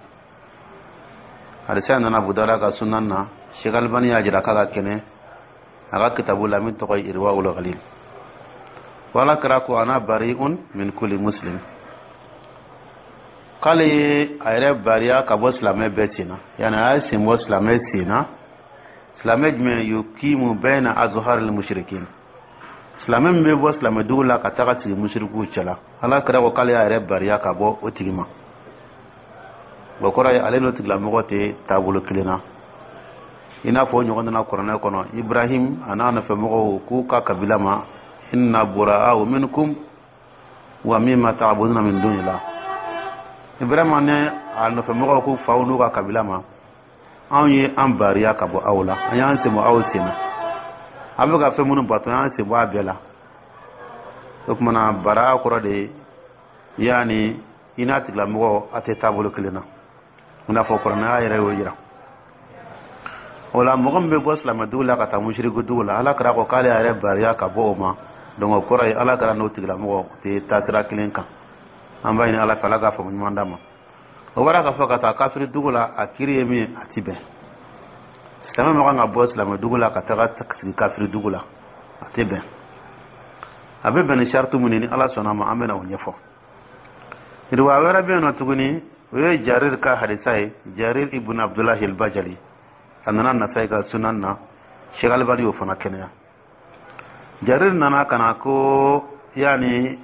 Hadisa nana Abu Dawuda ka sunan na. Sheikh Albani y'a jira k'a ka kɛnɛ a ka kitabu la min tɔgɔ ye Irwaul Ghalil. Wala kira ko: "Ana bari'un min kulli muslim." K'ale ye a yɛrɛ bariya ka bɔ silamɛ bɛɛ sen na, yani a y'a sen bɔ silamɛ sen na. Silamɛ jumɛn? Yukimu bayna azhar al mushrikin, silamɛ min bɛ bɔ silamɛ dugu la ka taga sigi musirikuw cɛla. Ala kira ko k'ale y'a yɛrɛ bariya ka bɔ o tigi ma. O kɔrɔ ye ale n'o tigilamɔgɔ tɛ taabolo kelen na. I n'a fɔ o ɲɔgɔn nana kuranɛ kɔnɔ, Ibrahim a n'a nɔfɛmɔgɔw k'u ka kabila ma: "Inna bura'u minkum wa mimma ta'buduna min dunillah." Ibrahima ni a nɔfɛmɔgɔw k'u faw n'u ka kabila ma: "Anw ye an bariya ka bɔ aw la, an y'an sen bɔ aw sen na. An bɛ ka fɛn minnu bato, an y'an sen bɔ a bɛɛ la." O tuma na, bara kɔrɔ de ye yaani i n'a tigilamɔgɔ a tɛ taabolo kelen na, i n'a fɔ kuranɛ yɛrɛ y'o jira. O la, mɔgɔ min bɛ bɔ silamɛdugu la ka taa musiriku dugu la, Ala kɛra ko k'ale yɛrɛ bariya ka bɔ o ma. Donc o kɔrɔ ye Ala kɛra n'o tigilamɔgɔ tɛ taasira kelen kan. An b'a ɲini Ala fɛ, Ala k'a faamu ɲuman d'a ma. O bɔra k'a fɔ ka taa kafiri dugu la, a kiri ye min ye, a ti bɛn. Silamɛ ma kan ka bɔ silamɛ dugu la ka taga sigi kafiri dugu la, a tɛ bɛn. A bɛ bɛn ni saritu mun ye, ni Ala sɔnna ma, an bɛna o ɲɛfɔ. Riwaya wɛrɛ bɛ yen nɔ tuguni, o ye Jarir ka hadisa ye, Jarir ibn Abdullahi al-Bajali. A nana Nasai ka sunan na, Sheikh Albani y'o fana kɛnɛya. Jarir nana ka na ko yaani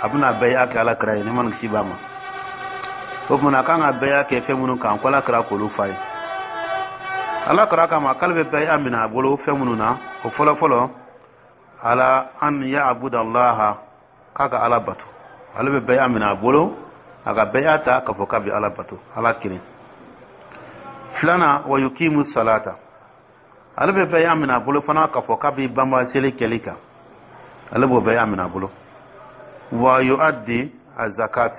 a bɛna bɛɛ kɛ Ala kira ye, ne ma nin kisi b'a ma. O tuma a kan ka bɛɛ kɛ fɛn minnu kan, ko Ala kira k'olu fa ye. Ala kira kama k'ale bɛ bɛɛ minɛ a bolo fɛn minnu na, o fɔlɔ fɔlɔ, ala an ya'budallaha, k'a ka Ala bato. Ale bɛ bɛɛ minɛ a bolo a ka bɛɛ ta k'a fɔ k'a bɛ Ala bato, Ala kelen. Filanan, wa yukimu salata. Ale bɛ bɛɛ minɛ a bolo fana k'a fɔ k'a bɛ banba seli kɛli kan, ale b'o bɛɛ minɛ a bolo. Wa yuaddi azakat.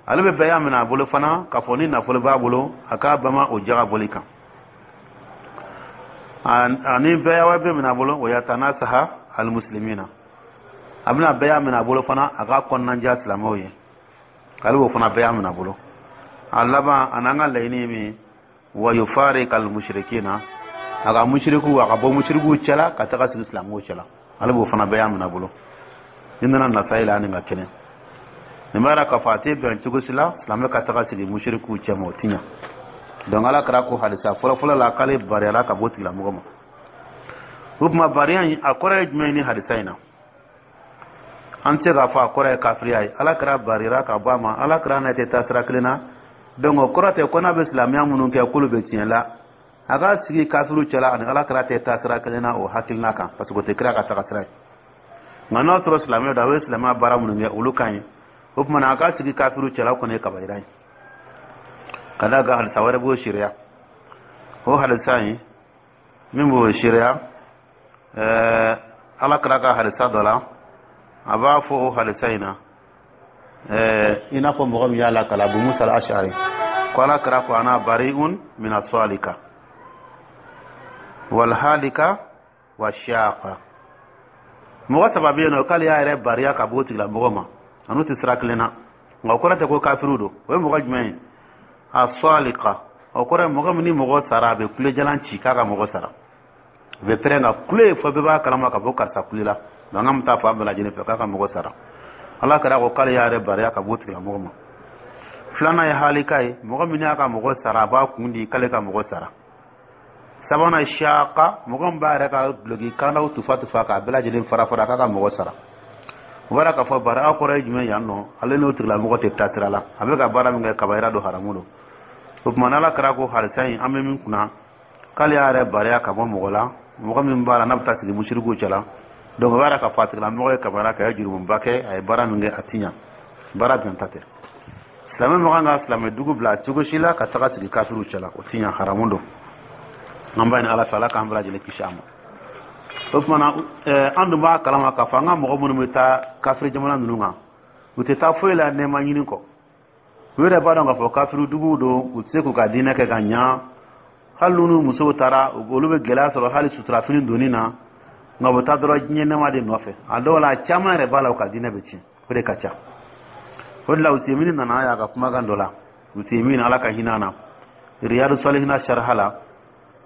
Ale bɛ bɛɛ minɛ a bolo fana k'a fɔ ni nafolo b'a bolo, a k'a bama o jaga bɔli kan. Ani bɛɛ bɛ minɛ a bolo, o yatanasaha almuslimina. A bɛna bɛɛ minɛ a bolo fana a k'a kɔnɔnanja silamɛw ye, ale b'o fana bɛɛ minɛ a bolo. A laban, a n'an ka laɲini ye min ye, wa yufarika almushrikina, a ka musiriku, a ka bɔ musirikuw cɛla ka taga sigi silamɛw cɛla, ale b'o fana bɛɛ minɛ a bolo. Ni nana Nasayi la, ani ka kɛnɛ nin b'a yira k'a fɔ a tɛ bɛn cogo si la silamɛ ka taga sigi musirikuw cɛ ma, o ti ɲa. Donc Ala kɛra ko hadisa fɔlɔfɔlɔ la k'ale bariyala ka bɔ tigilamɔgɔ ma. O tuma, bariya in, a kɔrɔ ye jumɛn ye ni hadisa in na? An tɛ se k'a fɔ a kɔrɔ ye kafiriya ye. Ala kɛra bariyara ka bɔ a ma, Ala kɛra n'a tɛ taa sira kelen na. Donc o kɔrɔ tɛ ko n'a bɛ silamɛya minnu kɛ k'olu bɛ tiɲɛ la. A ka sigi kafiriw cɛla ani Ala kɛra tɛ taa sira kelen na, o hakilina kan, parce que o tɛ kira ka taga sira ye. Nka n'a sɔrɔ silamɛ don, a bɛ silamɛya baara minnu kɛ, olu ka ɲi. O tuma na, a ka sigi kafiriw cɛla, o kɔni ye kabayira ye. Ka d'a kan hadisa wɛrɛ b'o seereya. O hadisa in min b'o seereya, ɛɛ Ala kɛra ka hadisa dɔ la, a b'a fɔ o hadisa in na, ɛɛ i n'a fɔ mɔgɔ min y'a lakala, Abu Musa al-Ash'ari, ko Ala kɛra ko: "Ana bari'un min as-salika wal halika wa shaqa." Mɔgɔ saba bɛ yen nɔ k'ale y'a yɛrɛ bariya ka bɔ o tigilamɔgɔ ma, a n'u tɛ sira kelen na. Nka o kɔrɔ tɛ ko kafiriw don. O ye mɔgɔ jumɛn ye? As-salika, o kɔrɔ ye mɔgɔ min ni mɔgɔ sara, a bɛ kulejalan ci k'a ka mɔgɔ sara, a bɛ pɛrɛn ka kule fɔ bɛɛ b'a kalama ka bɔ karisa kule la, mankan bɛ taa fan bɛɛ lajɛlen fɛ k'a ka mɔgɔ sara. Ala kɛra ko k'ale y'a yɛrɛ bariya ka bɔ o tigilamɔgɔ ma. Filanan ye halika ye, mɔgɔ min y'a ka mɔgɔ sara, a b'a kun di k'ale ka mɔgɔ sara. Sabanan, shaka, mɔgɔ min b'a yɛrɛ ka duloki kandaw tufa tufa k'a bɛɛ lajɛlen fara fara k'a ka mɔgɔ sara. O b'a k'a fɔ bara kɔrɔ ye jumɛn yan nɔ? Ale n'o tigilamɔgɔ tɛ taa sira la. A bɛ ka baara min kɛ, kabayira don, haramu don. O tuma, n'Ala kɛra ko hadisa in, an bɛ min kunna, k'ale y'a yɛrɛ bariya ka bɔ mɔgɔ la, mɔgɔ min b'a la n'a bɛ taa sigi musirikuw cɛla. Donc o b'a yira k'a fɔ a tigilamɔgɔ ye kabayira kɛ, a ye jurumuba kɛ, a ye baara min kɛ, a ti ɲa, baara bɛnta tɛ. Silamɛ ma kan ka silamɛ dugu bila cogo si la ka taga sigi kafiriw cɛla, o ti ɲa, haramu don. An b'a ɲini Ala fɛ, Ala k'an bɛɛ lajɛlen kisi a ma. O tuma na, an dun b'a kalama k'a fɔ an ka mɔgɔ minnu bɛ taa kafiri jamana ninnu kan, u tɛ taa foyi la nɛɛma ɲini kɔ. U yɛrɛ b'a dɔn k'a fɔ kafiri duguw don, u tɛ se k'u ka diinɛ kɛ ka ɲa. Hali n'u musow taara, olu bɛ gɛlɛya sɔrɔ hali suturafini donni na. Nka u bɛ taa dɔrɔn diɲɛ nɛɛma de nɔfɛ. A dɔw la, a caman yɛrɛ b'a la, u ka diinɛ bɛ tiɲɛ, o de ka ca. O de la, Usemini nana y'a ka kumakan dɔ la, Usemini, Ala ka hinɛ na. Riyadu Salihina sharha la.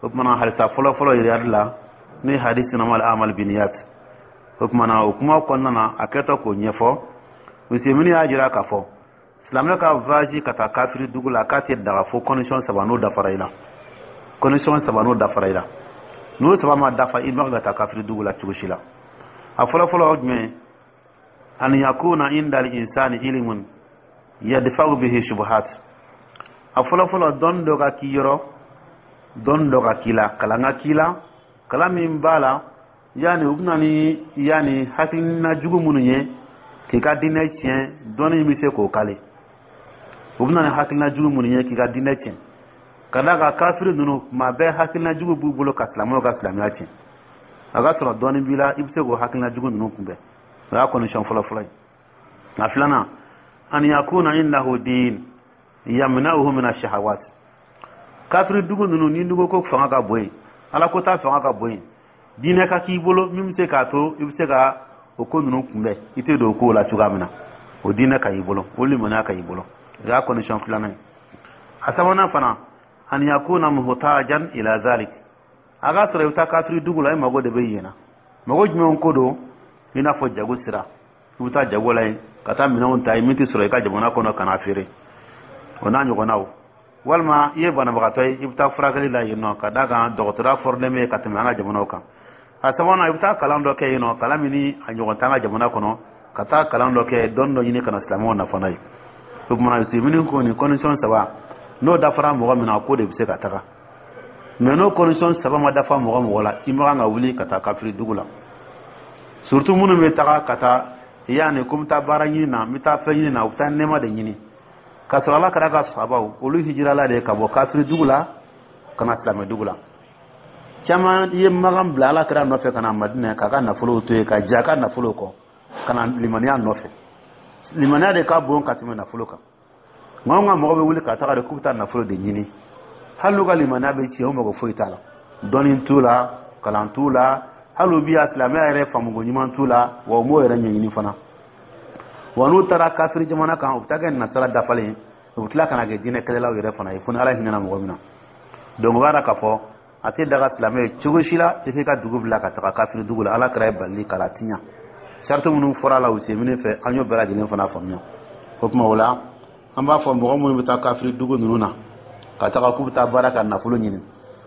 O kumana, hadisa fɔlɔ fɔlɔ Riyadu la, n'o ye hadisi innamal a'mal biniyat. O kumana, o kuma kɔnɔna na, a kɛtɔ k'o ɲɛfɔ, Usemini y'a jira k'a fɔ silamɛ ka voyage ka taa kafiri dugu la, k'a tɛ daga fo condition saba n'o dafara i la. Condition saba n'o dafara i la, n'o saba ma dafa, i man ka taa kafiri dugu la cogo si la. A fɔlɔ fɔlɔ o jumɛn? An yakuna inda al insani ilmun yadfa'u bihi shubuhat. A fɔlɔ fɔlɔ, dɔnni dɔ ka k'i yɔrɔ, dɔnni dɔ ka k'i la, kalan ka k'i la, kalan min b'a la yanni u bɛna ni yanni hakilina jugu minnu ye k'i ka diinɛ tiɲɛ, dɔnni bɛ se k'o kale. U bɛna ni hakilina jugu minnu ye k'i ka diinɛ tiɲɛ, ka d'a kan kafiri ninnu, tuma bɛɛ hakilina jugu b'u bolo ka silamɛw ka silamɛya tiɲɛ. A ka sɔrɔ dɔnni b'i la, i bɛ se k'o hakilina jugu ninnu kunbɛn. O y'a condition fɔlɔ fɔlɔ ye. A filanan, an yakuna indahu din yamna'uhu min ash-shahawat. Kafiri dugu ninnu ni dugu ko fanga ka bon yen, Ala ko ta fanga ka bon yen, diinɛ ka k'i bolo min bɛ se k'a to i bɛ se ka o ko ninnu kunbɛn, i tɛ don o kow la cogoya min na, o diinɛ ka y'i bolo, o limaniya ka y'i bolo. O y'a condition filanan ye. A sabanan fana, an yakuna muhtajan ila zalik. A ka sɔrɔ i bɛ taa kafiri dugu la, i mago de bɛ yen na. Mago jumɛn ko don? I n'a fɔ jago sira, i bɛ taa jago la yen ka taa minɛnw ta yen min tɛ sɔrɔ i ka jamana kɔnɔ ka n'a feere, o n'a ɲɔgɔnnaw. Walima i ye banabagatɔ ye, i bɛ taa furakɛli la yen nɔ, ka d'a kan dɔgɔtɔrɔya fɔrilen bɛ ka tɛmɛ an ka jamanaw kan. A sabanan, i bɛ taa kalan dɔ kɛ yen nɔ, kalan min ni a ɲɔgɔn t'an ka jamana kɔnɔ, ka taa kalan dɔ kɛ, dɔnni dɔ ɲini ka na silamɛw nafa n'a ye. O kumana, Usemini ko nin condition saba, n'o dafara mɔgɔ min na, ko de bɛ se ka taga. Mais n'o condition saba ma dafa mɔgɔ mɔgɔ la, i man kan ka wuli ka taa kafiri dugu la. Surtout minnu bɛ taga ka taa yanni ko n bɛ taa baara ɲini na, n bɛ taa fɛn ɲini na, u bɛ taa nɛɛma de ɲini, k'a sɔrɔ Ala kɛra ka sabaw, olu hijirala de ka bɔ kafiri dugu la ka na silamɛ dugu la. Caman ye Makan bila Ala kɛra nɔfɛ ka na Madinɛ, k'a ka nafolow to yen, ka jɛ a ka nafolow kɔ ka na limaniya nɔfɛ. Limaniya de ka bon ka tɛmɛ nafolo kan. Nka anw ka mɔgɔ bɛ wuli ka taga de k'u bɛ taa nafolo de ɲini, hali n'u ka limaniya bɛ tiɲɛ, u mago foyi t'a la. Dɔnni t'u la, kalan t'u la, hali u bi a silamɛya yɛrɛ faamuko ɲuman t'u la, wa u m'o yɛrɛ ɲɛɲini fana. Wa n'u taara kafiri jamana kan, u bɛ taa kɛ nasara dafalen ye, u bɛ tila ka na kɛ diinɛ kɛlɛlaw yɛrɛ fana ye, fo ni Ala hinɛna mɔgɔ min na. Donc o b'a yira k'a fɔ a tɛ daga silamɛ ye cogo si la i k'i ka dugu bila ka taga kafiri dugu la. Ala kɛra ye balili k'a tiɲɛ. Sarati minnu fɔra a la Usemini fɛ, an y'o bɛɛ lajɛlen fana faamuya. O tuma o la, an b'a fɔ mɔgɔ minnu bɛ taa kafiri dugu ninnu na ka taga k'u bɛ taa baara ka nafolo ɲini,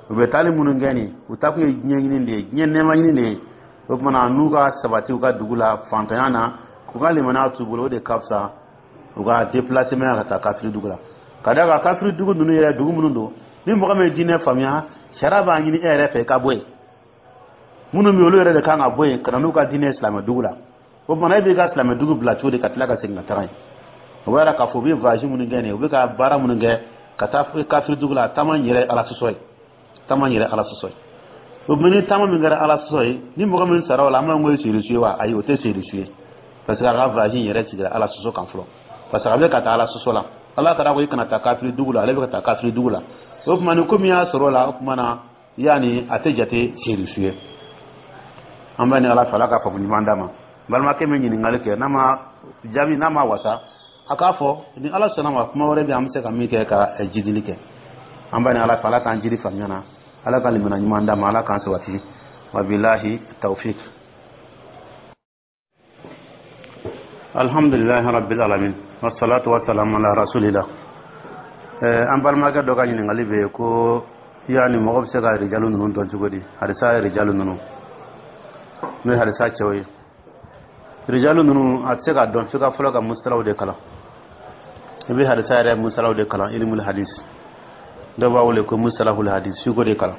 u bɛ taali minnu kɛ nin, u taa kun ye diɲɛ ɲini de ye, diɲɛ nɛɛma ɲini de ye. O tuma na, n'u ka sabati u ka dugu la fantanya na, k'u ka limaniya t'u bolo, o de ka fisa u ka déplacement ka taa kafiri dugu la. Ka d'a kan kafiri dugu ninnu yɛrɛ, dugu minnu don, ni mɔgɔ min ye diinɛ faamuya, sariya b'a ɲini e yɛrɛ fɛ i ka bɔ yen. Minnu bɛ olu yɛrɛ de kan ka bɔ yen ka na n'u ka diinɛ ye silamɛ dugu la. O tuma na, e b'i ka silamɛ dugu bila cogo di ka tila ka segin ka taga yen? O b'a yira k'a fɔ u bɛ voyage minnu kɛ nin ye, u bɛ ka baara minnu kɛ ka taa kafiri dugu la, taama in yɛrɛ Ala sɔsɔ ye, taama in yɛrɛ Ala sɔsɔ ye. O tuma, ni taama min kɛra Ala sɔsɔ ye, ni mɔgɔ min sara o la, an b'a fɔ ko ye seyidu ye wa? Ayi, o tɛ seyidu ye, parce que a ka voyage in yɛrɛ sigira Ala sɔsɔ kan fɔlɔ, parce que a bɛ ka taa Ala sɔsɔ la. Ala kɛra ko i kana taa kafiri dugu la, ale bɛ ka taa kafiri dugu la. O tuma, ni ko min y'a sɔrɔ o la, o tuma na yanni a tɛ jate seyidu ye. An bɛ ni Ala fɛ, Ala ka faamu ɲuman d'a ma. Balimakɛ min ɲininkali kɛ, n'a ma jaabi, n'a ma wasa, a k'a fɔ. Ni Ala sɔnna ma, kuma wɛrɛ bɛ an bɛ se ka min kɛ ka jidili kɛ. An bɛ ni Ala fɛ, Ala k'an jiri faamuya na, Ala ka limana ɲuman d'a ma, Ala k'an sabati. Wabilahi tawfik. Alhamdulilahi rabbil alamin, wassalatu wassalamu ala rasulillah. An balimakɛ dɔ ka ɲininkali bɛ yen ko yani mɔgɔ bɛ se ka rijalu ninnu dɔn cogo di, hadisa rijalu ninnu, n'o ye hadisa cɛw ye. Rijalu ninnu, a tɛ se ka dɔn f'i ka fɔlɔ ka musalaw de kalan. I bɛ hadisa yɛrɛ musalaw de kalan, ilimul hadis, dɔw b'a wele ko musalahul hadis. F'i k'o de kalan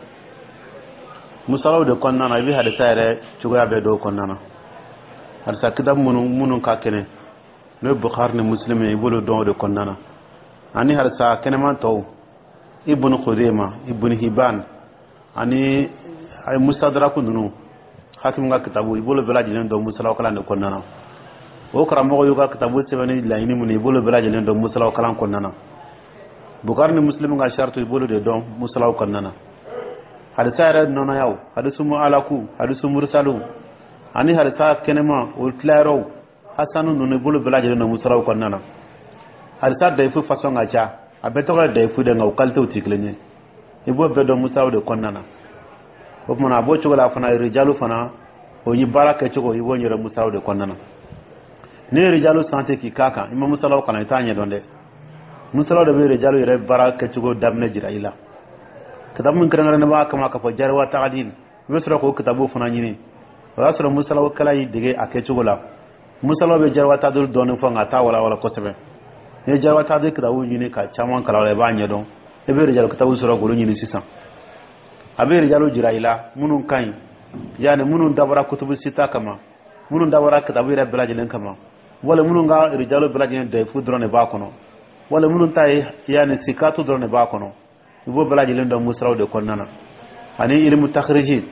musalaw de kɔnɔna na, i bɛ hadisa yɛrɛ cogoya bɛɛ dɔw kɔnɔna na. Hadisa kitabu minnu minnu ka kɛnɛ, n'o ye Bukhari ni Muslim ye, i b'olu dɔn o de kɔnɔna na, ani hadisa kɛnɛman tɔw, Ibn Khuzaima, Ibn Hibban, ani Mustadraku ninnu, Hakim ka kitabu, i b'olu bɛɛ lajɛlen dɔn musalaw kalan de kɔnɔna na. O karamɔgɔ y'u ka kitabu sɛbɛn ni laɲini minnu ye, i b'olu bɛɛ lajɛlen dɔn musalaw kalan kɔnɔna na. Bukhari ni Muslim ka shartu, i b'olu de dɔn musalaw kɔnɔna na. Hadisa yɛrɛ nɔnɔyaw, hadisu mu'alaku, hadisu mursalu, ani hadisa kɛnɛma o tilayɔrɔw, hasanu ninnu, i b'olu bɛɛ lajɛlen dɔn musalaw kɔnɔna na. Hadisa dayifu fasɔn ka ca. A bɛɛ tɔgɔ ye dayifu de, nka o qualitéw tɛ kelen ye. I b'o bɛɛ dɔn musalaw de kɔnɔna na. O tuma a b'o cogo la fana, rijalu fana, o ye baara kɛcogo, i b'o ɲɛdɔn musalaw de kɔnɔna na. N'i ye rijalu sante k'i k'a kan, i ma musalaw kalan, i t'a ɲɛdɔn dɛ. Musalaw de bɛ rijalu yɛrɛ baara kɛcogo daminɛ jira i la. Kitabu min kɛrɛnkɛrɛnnen b'a kama k'a fɔ jariwa tagadil, i bɛ sɔrɔ k'o kitabu fana ɲini. O y'a sɔrɔ musalaw kɛla y'i dege a kɛcogo la. Musalaw bɛ jariwa taadil dɔɔni fɔ, nka a t'a walawala kosɛbɛ. N'i ye jariwa taadil kitabu ɲini ka caman kalan o la, i b'a ɲɛdɔn. I bɛ rijalu kitabu sɔrɔ k'olu ɲini sisan. A bɛ rijalu jira i la minnu ka ɲi, yanni minnu dabɔra kutubu sita kama, minnu dabɔra kitabu yɛrɛ bɛɛ lajɛlen kama, wala minnu ka rijalu bɛɛ lajɛlen dayifu dɔrɔn de b'a kɔnɔ, wala minnu ta ye yanni sikatu dɔrɔn de b'a kɔnɔ. I b'o bɛɛ lajɛlen dɔn musalaw de kɔnɔna na. Ani ilimu takiriji.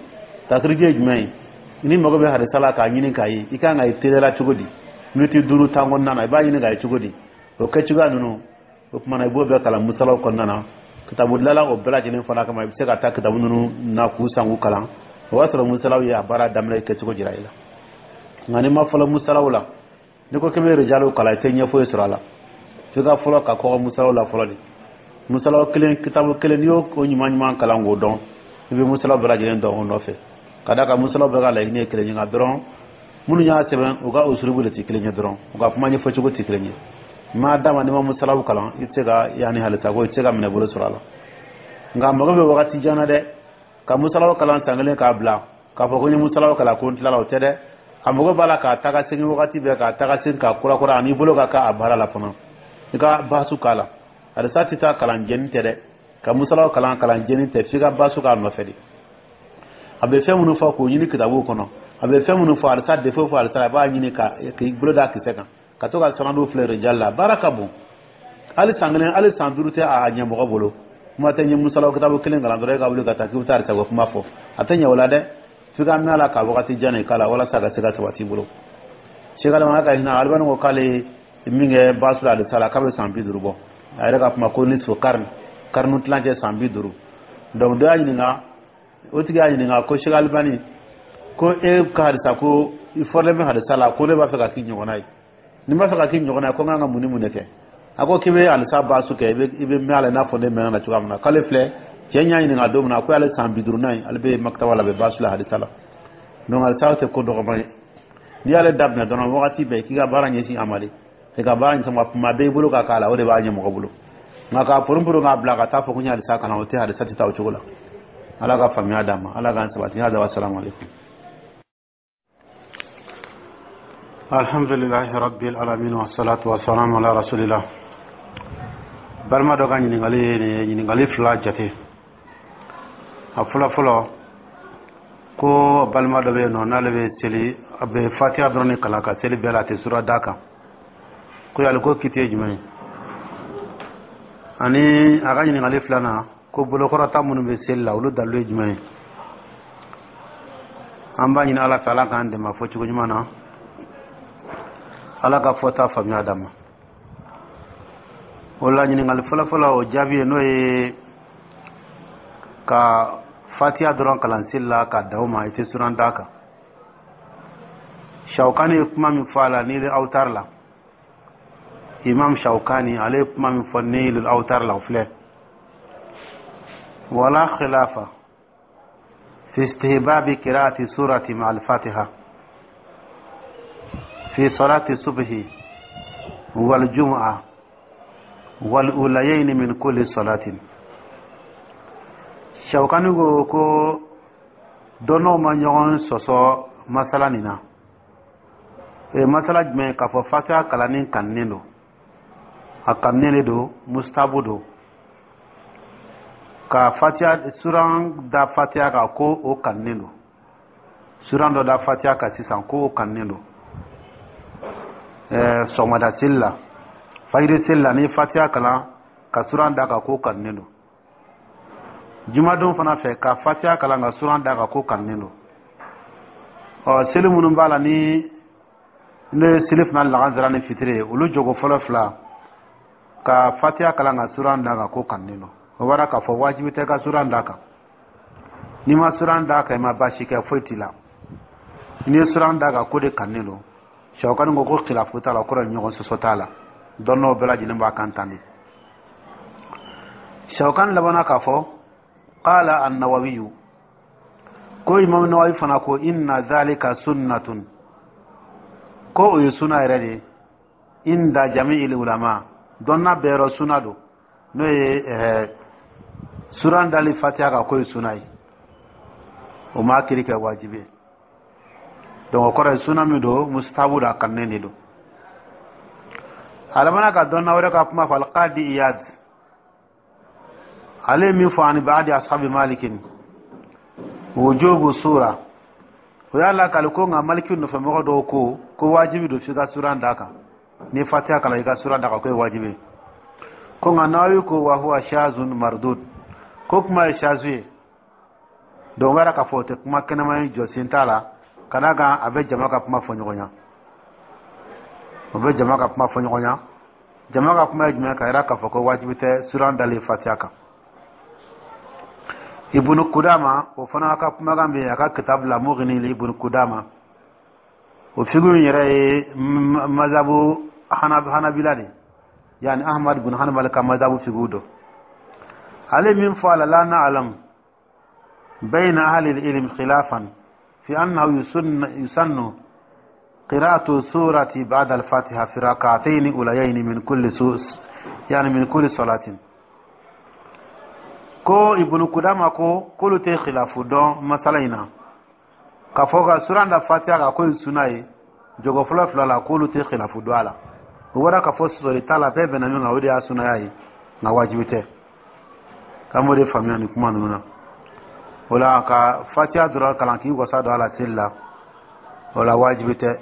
Takiriji ye jumɛn ye? Ni mago bɛ hadisa la k'a ɲini k'a ye, i kan ka ye teliya cogo di? Miniti duuru tan kɔnɔna na, i b'a ɲini k'a ye cogo di? O kɛcogoya ninnu, o kumana, i b'o bɛɛ kalan musalaw kɔnɔna na. Kitabu dilanla o bɛɛ lajɛlen fana kama. I bɛ se ka taa kitabu ninnu na k'u san k'u kalan. O b'a sɔrɔ musalaw ye a baara daminɛ kɛcogo jira i la. Nka n'i ma fɔlɔ musalaw la, n'i ko k'i bɛ rijaliw kalan, i tɛ ɲɛ foyi sɔrɔ a la. F'i ka fɔlɔ ka kɔgɔ musalaw la fɔlɔ de. Musalaw kelen, kitabu kelen, n'i y'o ɲuman ɲuman kalan k'o dɔn, i bɛ musalaw bɛɛ lajɛlen dɔn o nɔfɛ. Ka d'a kan musalaw bɛɛ ka laɲini ye kelen ye, nka dɔrɔn minnu y'a sɛbɛn, u ka usulubu de tɛ kelen ye dɔrɔn, u ka kuma ɲɛfɔcogo tɛ kelen ye. Maa dama, n'i ma musalaw kalan, i tɛ se ka yanni halisa ko i tɛ se ka minɛ bolo sɔrɔ a la. Nka mago bɛ wagati jan na dɛ. Ka musalaw kalan san kelen k'a bila k'a fɔ ko n ye musalaw kalan ko n tilala, o tɛ dɛ. A mago b'a la k'a taga segin wagati bɛɛ, k'a taga segin k'a kurakura, ani bolo ka k'a baara la fana, i ka baasu k'a la. Halisa tɛ taa kalan jɛni tɛ dɛ. Ka musalaw kalan, kalan jɛni tɛ, f'i ka baasu k'a nɔfɛ de. A bɛ fɛn minnu fɔ, k'o ɲini kitabuw kɔnɔ. A bɛ fɛn minnu fɔ halisa, défaut fɔ halisa, a b'a ɲini ka k'i bolo da kisɛ kan, ka to ka sanadu filɛ rijal la. Baara ka bon. Hali san kelen, hali san duuru tɛ a ɲɛ mɔgɔ bolo. Kuma tɛ n ye musalaw kitabu kelen kalan dɔrɔn, e ka wuli ka taa k'i bɛ taa halisa ko kuma fɔ, a tɛ ɲɛ o la dɛ. F'i ka mɛn a la ka wagati jan de k'a la walasa ka se ka sabati i bolo. Sɛki Adama ka hinɛ, Alibani ko k'ale ye min kɛ baasu la halisa la, k'a bɛ san bi duuru bɔ. A yɛrɛ ka kuma ko nisfu karni, karnu tilancɛ, san bi duuru. Donc dɔ y'a ɲininka, o tigi y'a ɲininka ko Sɛki Alibani, ko e ka hadisa, ko i fɔlen bɛ hadisa la, ko ne b'a fɛ ka k'i ɲɔgɔnna ye. Ni n b'a fɛ ka k'i ɲɔgɔnna ye, ko n kan ka mun ni mun de kɛ? A ko k'i bɛ halisa baasu kɛ, i bɛ i bɛ mɛn a la i n'a fɔ ne mɛnna na cogoya min na. K'ale filɛ, cɛ y'a ɲininka don min na, ko ale san bi duuru ye, ale bɛ makitaba la, a bɛ baasu la hadisa la. Donc halisa tɛ ko dɔgɔman ye. N'i y'ale daminɛ dɔrɔn, wagati bɛɛ k'i ka baara ɲɛsin a ma de, i ka baara ɲɛsin ma kuma bɛɛ, i bolo ka k'a la, o de b'a ɲɛ mɔgɔ bolo. Nka k'a poron poron k'a bila ka taa fɔ ko n ye halisa kalan, o tɛ, halisa tɛ taa o cogo la. Ala ka faamuya d'an ma, Ala k'an sabati. Hada, wa salamu alaikum. Alhamdulilahi rabbil alamin, wa salatu wa salam ala rasulillah. Balima dɔ ka ɲininkali ye nin ye, ɲininkali fila jate. A fɔlɔ fɔlɔ, ko balima dɔ bɛ yen nɔ, n'ale bɛ seli, a bɛ fatiha dɔrɔn de kalan ka seli bɛɛ la, a tɛ sura d'a kan. Ko yali ko kiti ye jumɛn ye? Ani a ka ɲininkali filanan, ko bolokɔrɔta minnu bɛ seli la, olu dalilu ye jumɛn ye? An b'a ɲini Ala fɛ, Ala k'an dɛmɛ fɔ cogo ɲuman na, Ala ka fɔta faamuya d'an ma. O la, ɲininkali fɔlɔfɔlɔ, o jaabi ye, n'o ye ka fatiya dɔrɔn kalan seli la ka da o ma, i tɛ suran d'a kan. Shawkani ye kuma min fɔ a la Nili Awtar la, Imam Shawkani, ale ye kuma min fɔ Nili Awtar la, o filɛ: wala khilafa fi istihbabi qira'ati surati ma al-fatiha fi salati subhi wal jumu'a wal ulayayn min kulli salatin. Shawkani ko ko dɔnnaw ma ɲɔgɔn sɔsɔ masala nin na. O ye masala jumɛn? K'a fɔ fatiha kalanni kanunen don, a kanunen de don, mustabu don, ka fatiha suran da fatiha kan, ko o kanunen don, suran dɔ da fatiha kan sisan, ko o kanunen don. Ɛɛ sɔgɔmada seli la, fajiri seli la, ni fatiha kalan ka suran da kan, ko kanunen don. Jumadon fana fɛ, ka fatiha kalan ka suran da kan, ko kanunen don. Ɔ, seli minnu b'a la ni n'o ye seli fana, lagansara ni fitiri ye, olu jogo fɔlɔ fila, ka fatiha kalan ka suran da kan, ko kanunen don. O bɔra k'a fɔ wajibi tɛ ka suran da kan. N'i ma suran da kan, i ma baasi kɛ, foyi t'i la. N'i ye suran da kan, ko de kanunen don. Sawukani ko ko khilafu t'a la, o kɔrɔ ye ɲɔgɔn sɔsɔ t'a la, dɔnnaw bɛɛ lajɛlen b'a kan tan de. Shawkani labanna k'a fɔ: qala an-Nawawiyu, ko Imam Nawawi fana ko: inna dhalika sunnatun, ko o ye suna yɛrɛ de ye, inda jami'il ulama, dɔnna bɛɛ yɔrɔ suna don, n'o ye ɛɛ suran dali Fatiha kan, k'o ye suna ye, o m'a kiri kɛ wajibi ye. Donc o kɔrɔ ye suna min don, mustahabu don, a kanunen de don. A labanna ka dɔnna wɛrɛ ka kuma fɔ, Alqadi Iyad, ale ye min fɔ: ani baadi ashabi Malikin wujubu sura, o y'a lakali ko nka Maliki nɔfɛmɔgɔ dɔw ko ko wajibi don f'i ka suran d'a kan, ni Fatiha kalan, i ka suran d'a kan, k'o ye wajibi ye. Ko nka Nawawi ko: wa huwa shazun mardud, ko kuma ye shazu ye. Donc o b'a yira k'a fɔ o tɛ kuma kɛnɛma ye, jɔsen t'a la, ka d'a kan a bɛ jama ka kuma fɔ ɲɔgɔn ɲɛ. O bɛ jama ka kuma fɔ ɲɔgɔn ɲɛ. Jama ka kuma ye jumɛn? Ka yira k'a fɔ ko wajibi tɛ suran dalen Fatiha kan. Ibnu Kudama, o fana ka kumakan bɛ yen a ka kitabu la, Mughni li Ibnu Kudama. O figu in yɛrɛ ye mazabu Hanabila de, yani Ahmad bin Hanbal ka mazabu figu dɔ. Ale min fɔ a la: la na'lam bayna ahli al-ilm khilafan fi annahu yusannu qira'atu surati ba'da al-Fatiha fi rak'atayn ulayayn min kulli sus yani min kulli salatin. Ko Ibnu Kudama ko k'olu tɛ khilafu dɔn masala in na, k'a fɔ ka suran da Fatiha kan ko ye suna ye jogo fɔlɔ fila la, k'olu tɛ khilafu dɔn a la. O bɔra k'a fɔ sɔsɔli t'a la, bɛɛ bɛnna min kan, o de y'a sunaya ye, nka wajibi tɛ. K'an b'o de faamuya nin kuma ninnu na. O la, ka Fatiha dɔrɔn kalan k'i wasa don a la seli la, o la wajibi tɛ.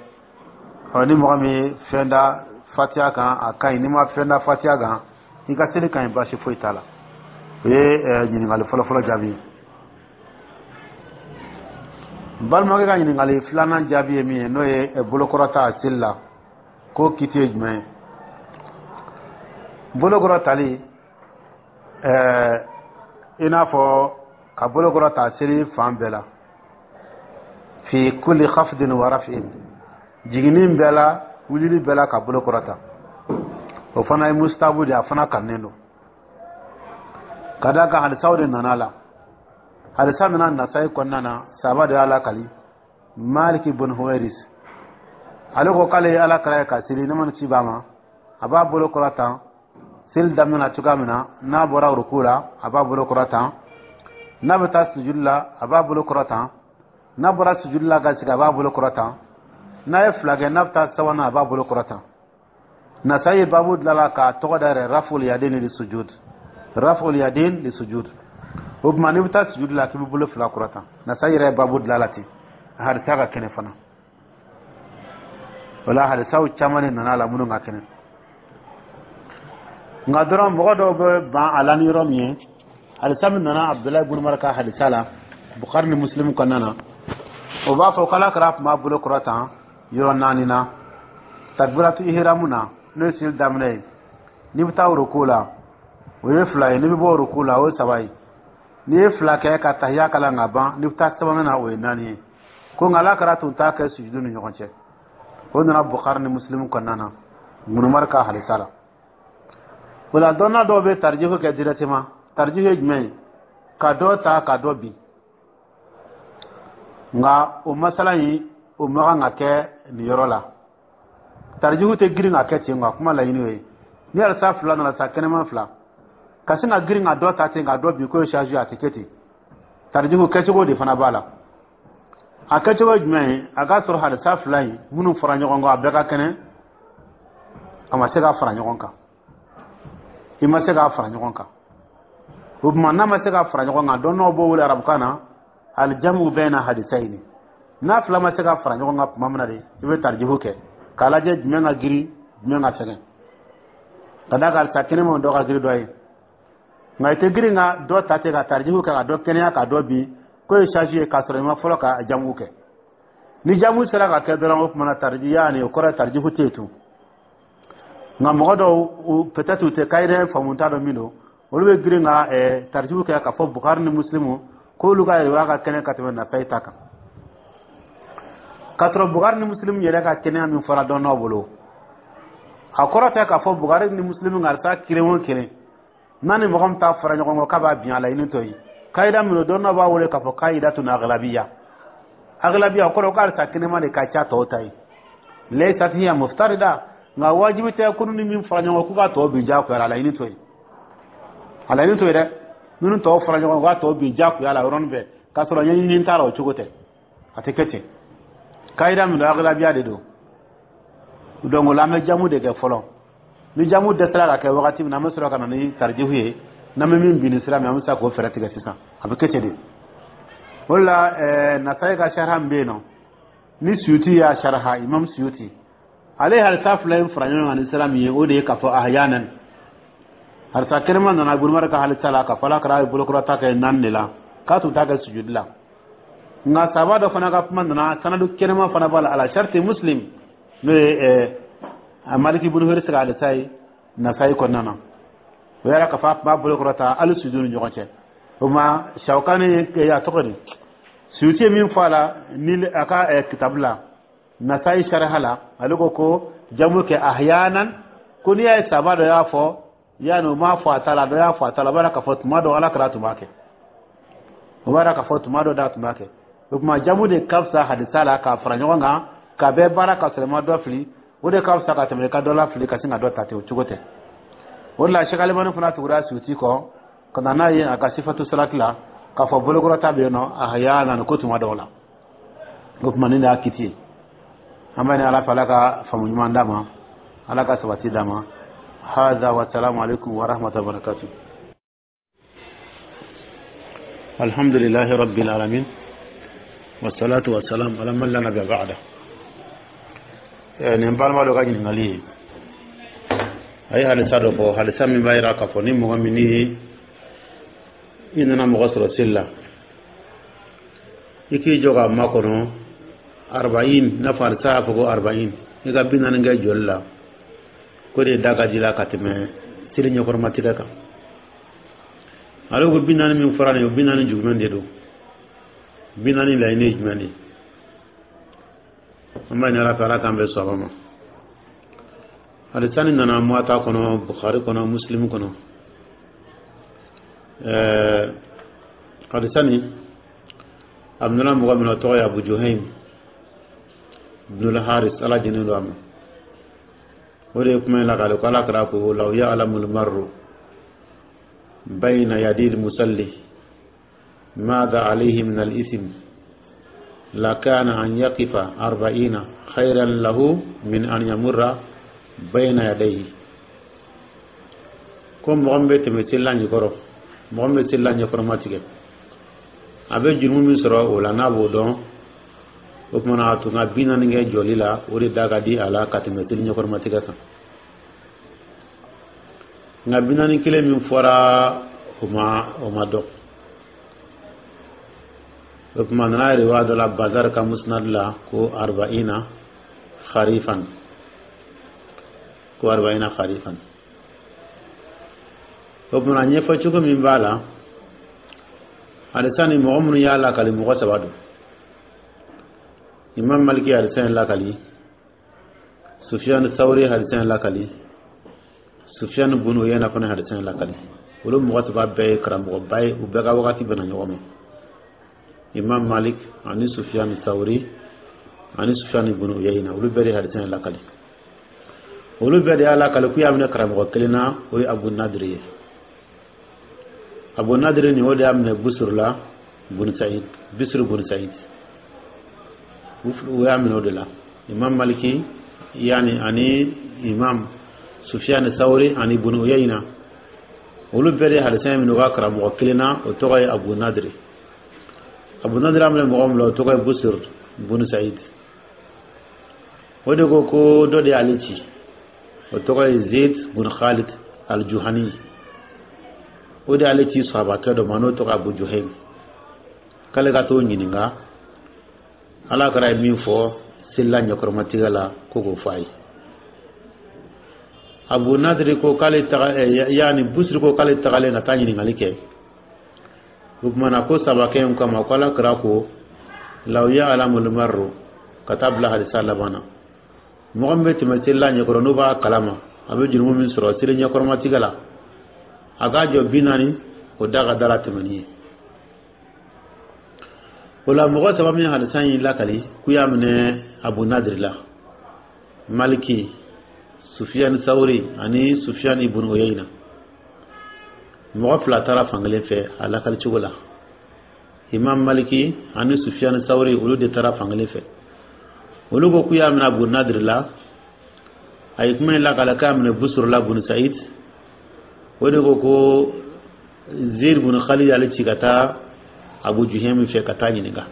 Ɔ, ni mɔgɔ min ye fɛn da Fatiha kan, a ka ɲi. N'i ma fɛn da Fatiha kan, i ka seli ka ɲi, baasi foyi t'a la. O ye ɲininkali fɔlɔfɔlɔ jaabi ye. Balimakɛ ka ɲininkali filanan jaabi ye min ye, n'o ye bolokɔrɔta seli la, k'o kiti ye jumɛn ye? Bolokɔrɔtali, ɛɛ i n'a fɔ ka bolokɔrɔta seli fan bɛɛ la, fi kulli khafdin wa raf'in, jiginni bɛɛ la, wulili bɛɛ la, ka bolokɔrɔta, o fana ye mustahabu de ye, a fana kanunen don, ka d'a kan hadisaw de nana la. Hadisa nana Nasayi kɔnɔna na, saba de y'a lakali. Maliki bin Huwairis, ale ko k'ale ye Ala kira ye ka seli, ne ma ci b'a ma, a b'a bolo kɔrɔta seli daminɛ na cogoya min na, n'a bɔra ruku la, a b'a bolo kɔrɔta, n'a bɛ taa sujudi la, a b'a bolo kɔrɔta, n'a bɔra sujudi la ka sigi, a b'a bolo kɔrɔta, n'a ye fila kɛ, n'a bɛ taa sabanan, a b'a bolo kɔrɔta. Nasayi ye babu dilan k'a tɔgɔ da yɛrɛ: raful yadin li sujud, raful yadin li sujud. O tuma n'i bɛ taa sujudi la, k'i bɛ bolo fila kɔrɔta. Nasayi yɛrɛ ye babu dilan la ten. A hadisa ka kɛnɛ fana. O la, hadisaw caman de nana a la minnu ka kɛnɛ. Nka dɔrɔn mɔgɔ dɔw bɛ ban a la ni yɔrɔ min ye, hadisa min nana Abudulayi ibn Umar ka hadisa la Bukhari ni Muslim kɔnɔna na, o b'a fɔ k'Ala kira tun b'a bolo kɔrɔta yɔrɔ naani na: takbiratu ihramu na, n'o ye seli daminɛ ye, n'i bɛ taa ruku la, o ye fila ye, n'i bɛ bɔ ruku la, o ye saba ye, n'i ye fila kɛ ka tahiya kalan ka ban, n'i bɛ taa sabanan na, o ye naani ye. Ko nka Ala kira tun t'a kɛ sujudu ni ɲɔgɔn cɛ. O nana Bukhari ni Muslim kɔnɔna na, Ibn Umar ka hadisa la. O la, dɔnna dɔw bɛ tarijihu kɛ directement. Tarijihu ye jumɛn ye? Ka dɔ ta ka dɔ bin. Nka o masala in, o ma kan ka kɛ nin yɔrɔ la. Tarijihu tɛ girin ka kɛ ten. Nka kuma laɲini o ye, ni hadisa fila nana sa, kɛnɛma fila, ka sin ka girin ka dɔ ta ten ka dɔ bin k'o ye charge, a tɛ kɛ ten. Tarijihu kɛcogo de fana b'a la. A kɛcogo ye jumɛn ye? A k'a sɔrɔ hadisa fila in minnu fɔra ɲɔgɔn kɔ, a bɛɛ ka kɛnɛ. A ma se k'a fara ɲɔgɔn kan, i ma se k'a fara ɲɔgɔn kan. O tuma n'a ma se k'a fara ɲɔgɔn kan, dɔnnaw b'o wele arabukan na alijamu bayna hadisayini. N'a fila ma se ka fara ɲɔgɔn kan tuma min na de, i bɛ tarijihu kɛ k'a lajɛ jumɛn ka girin, jumɛn ka fɛgɛn, ka d'a kan hadisa kɛnɛmaw dɔ ka girin dɔ ye. Nka i tɛ girin ka dɔ ta ten ka tarijihu kɛ ka dɔ kɛnɛya ka dɔ bin k'o ye charge ye, k'a sɔrɔ i ma fɔlɔ ka jamu kɛ. Ni jamu sera ka kɛ dɔrɔn, o tuma na tariji yaani o kɔrɔ ye tarijihu tɛ yen tun. Nka mɔgɔ dɔw, peut-être u tɛ kayirɛ faamu, t'a dɔn min don, olu bɛ girin ka tarijihu kɛ k'a fɔ Bukari ni Muslimu k'olu ka yɛrɛya ka kɛnɛ ka tɛmɛ Nasayi ta kan, k'a sɔrɔ Bukari ni Muslimu yɛrɛ ka kɛnɛya min fɔra dɔnnaw bolo, a kɔrɔ tɛ k'a fɔ Bukari ni Muslimu ka hadisa kelen o kelen. N'a ni mɔgɔ min ta fara ɲɔgɔn kɔ k'a b'a bin, a laɲini to yen. Kayida min don, dɔw b'a wele k'a fɔ kayidatun aglabiya. Aglabiya o kɔrɔ ko halisa kɛnɛma de ka ca tɔw ta ye. Laysat hiya muftarida, nka wajibi tɛ ko ni min fara ɲɔgɔn k'u ka tɔw bin diyagoya la. A laɲini to yen, a laɲini to yen dɛ. Minnu tɔw fara ɲɔgɔn k'a tɔw bin diyagoya la yɔrɔnin bɛɛ k'a sɔrɔ ɲɛɲini t'a la, o cogo tɛ, a tɛ kɛ ten. Kayida min don, aglabiya de don. Donc o la, an bɛ jamu de kɛ fɔlɔ. Ni jamu dɛsɛra ka kɛ wagati min na, an bɛ sɔrɔ ka na ni tarijihu ye. N'an bɛ min bin ni sira min, an bɛ se k'o fɛɛrɛ tigɛ sisan. A bɛ kɛ ten de. O de la, ɛɛ Nasayi ka sariya min bɛ yen nɔ, ni Suyuti y'a sariya, Imam Suyuti, ale ye hadisa fila in fara ɲɔgɔn kan ni sira min ye, o de ye k'a fɔ ahyanan hadisa kɛnɛma nana Ibn ka hadisa la k'a fɔ Ala kɛra ye bolokɔrɔta kɛ naani de la, k'a tun t'a kɛ sujudi la. Nka saba dɔ fana ka kuma nana, sanadu kɛnɛma fana b'a la, ala sharti Muslim, n'o ye ɛɛ Maliki ibn Huwayrisi ka hadisa ye Nasayi kɔnɔna na. O yɛrɛ k'a fɔ a tun b'a bolokɔrɔta hali sujudi ni ɲɔgɔn cɛ. O ma Shawkani, a tɔgɔ di, Suyuti ye min fɔ a la ni a ka kitabu la, Nasayi sariha la, ale ko ko jamu kɛ ahyanan, ko n'i y'a ye saba dɔ y'a fɔ, yanni o m'a fɔ a ta la, dɔ y'a fɔ a ta la, o b'a k'a fɔ tuma dɔ Ala kɛra tun b'a kɛ, o b'a k'a fɔ tuma dɔ da tun b'a kɛ. O tuma, jamu de ka fisa hadisa la, k'a fara ɲɔgɔn kan ka bɛɛ baara ka sɔrɔ i ma dɔ fili. O de ka fisa ka tɛmɛ i ka dɔ la fili ka sin ka dɔ ta ten. O cogo tɛ. O de la, Cheikh Alimani fana tugura Suyuti kɔ ka na n'a ye a ka sifatu salati la k'a fɔ bolokɔrɔta bɛ yen nɔ ahyanan, ko tuma dɔw la. O tuma, nin de y'a kiti ye. An b'a ɲini Ala fɛ, Ala ka faamu ɲuman d'a ma, Ala ka sabati d'a ma. Hada wa salamu alaikum wa rahmatullahi wa barakatuh. Alhamdulillahi rabbil alamin, wassalatu wassalam ala man la nabiyya ba'da. Nin balima dɔ ka ɲininkali ye, a ye hadisa dɔ fɔ, hadisa min b'a yira k'a fɔ ni mɔgɔ min ni i nana mɔgɔ sɔrɔ seli la, i k'i jɔ k'a makɔnɔ arba'in, n'a fɔ hadisa y'a fɔ ko arba'in, i ka bi naani kɛ jɔli la, ko de da ka di la ka tɛmɛ seli ɲɛkɔrɔmatigɛ kan. Ale ko bi naani min fɔra nin ye, o bi naani jumɛn de don? Bi naani laɲini ye jumɛn de ye? An b'a ɲini Ala fɛ, Ala k'an bɛn sɔrɔ ma. Hadisa nin nana Muwata kɔnɔ, Bukhari kɔnɔ, Muslim kɔnɔ. ɛɛ hadisa nin a minɛna mɔgɔ min na, o tɔgɔ ye Abu Juhaym ibn Haris, Ala jɛnnen don a ma. O de ye kuma in lakale ko Ala kɛra ko law ya'lamu al-marru bayna yadi al-musalli madha alayhi min al-ithm lakana an yaqifa arba'ina khayran lahu min an yamurra bayna yadayhi. Ko mɔgɔ min bɛ tɛmɛ selila ɲɛkɔrɔ, mɔgɔ min bɛ selila ɲɛkɔrɔma tigɛ, a bɛ jurumu min sɔrɔ o la, n'a b'o dɔn, o tuma na a tun ka bi naani kɛ jɔli la, o de da ka di a la ka tɛmɛ seli ɲɛkɔrɔma tigɛ kan. Nka bi naani kelen min fɔra, o ma o ma dɔn. O tuma, nana riwaya dɔ la Bazar ka Musnad la ko arba'ina kharifan, ko arba'ina kharifan. O tuma, ɲɛfɔ cogo min b'a la, hadisa ni mɔgɔ minnu y'a lakali, mɔgɔ saba don. Imam Maliki hadisa in lakali, Sufyan Thawri hadisa in lakali, Sufyan bunu Uyayna fana hadisa in lakali. Olu mɔgɔ saba bɛɛ ye karamɔgɔba ye, u bɛɛ ka wagati bɛnna ɲɔgɔn ma: Imam Malik ani Sufyan Thawri ani Sufyan bunu Uyayna. Olu bɛɛ de hadisa in lakali. Olu bɛɛ de y'a lakali k'u y'a minɛ karamɔgɔ kelen na, o ye Abu Nadiri ye. Abu Nadiri nin, o de y'a minɛ Busuru la, bunu Said, Bisiri bunu Said, u y'a minɛ o de la. Imam Maliki yani ani Imam Sufyan Thawri ani bunu Uyayna, olu bɛɛ de hadisa in minɛ u ka karamɔgɔ kelen na, o tɔgɔ ye Abu Nadiri. Abu Nadiri y'a minɛ mɔgɔ min la, o tɔgɔ ye Busir bunu Said. O de ko ko dɔ de y'ale ci, o tɔgɔ ye Zaid bun Khalid al-Juhani. O de y'ale ci sahabakɛ dɔ ma, n'o tɔgɔ Abu Juhaym, k'ale ka t'o ɲininka Ala kɛra ye min fɔ selila ɲɛkɔrɔmatigɛ la, ko k'o fɔ a ye. Abu Nadiri ko k'ale taga, yaani Busiri ko k'ale tagalen ka taa ɲininkali kɛ. O tuma na, ko sabakɛ in kama ko Ala kɛra ko law ya'lamul marru, ka taa bila hadisa laban na, mɔgɔ min bɛ tɛmɛ selila ɲɛkɔrɔ, n'o b'a kalama a bɛ jurumu min sɔrɔ seli ɲɛkɔrɔmatigɛ la. A k'a jɔ bi naani, o da ka da la tɛmɛni ye. O la, mɔgɔ saba min hadisa in lakali k'u y'a minɛ Abu Nadiri la, Maliki, Sufiyan Sawuri ani Sufiyan ibn Uyayna, mɔgɔ fila taara fankelen fɛ a lakali cogo la. Imam Maliki ani Sufiyan Sawuri, olu de taara fankelen fɛ. Olu ko k'u y'a minɛ Abu Nadiri la. A ye kuma in lakala k'a minɛ Busuru la bun Said. O de ko ko Zeid bun Khalid y'ale ci ka taa Abu Juhaymi fɛ ka taa ɲininka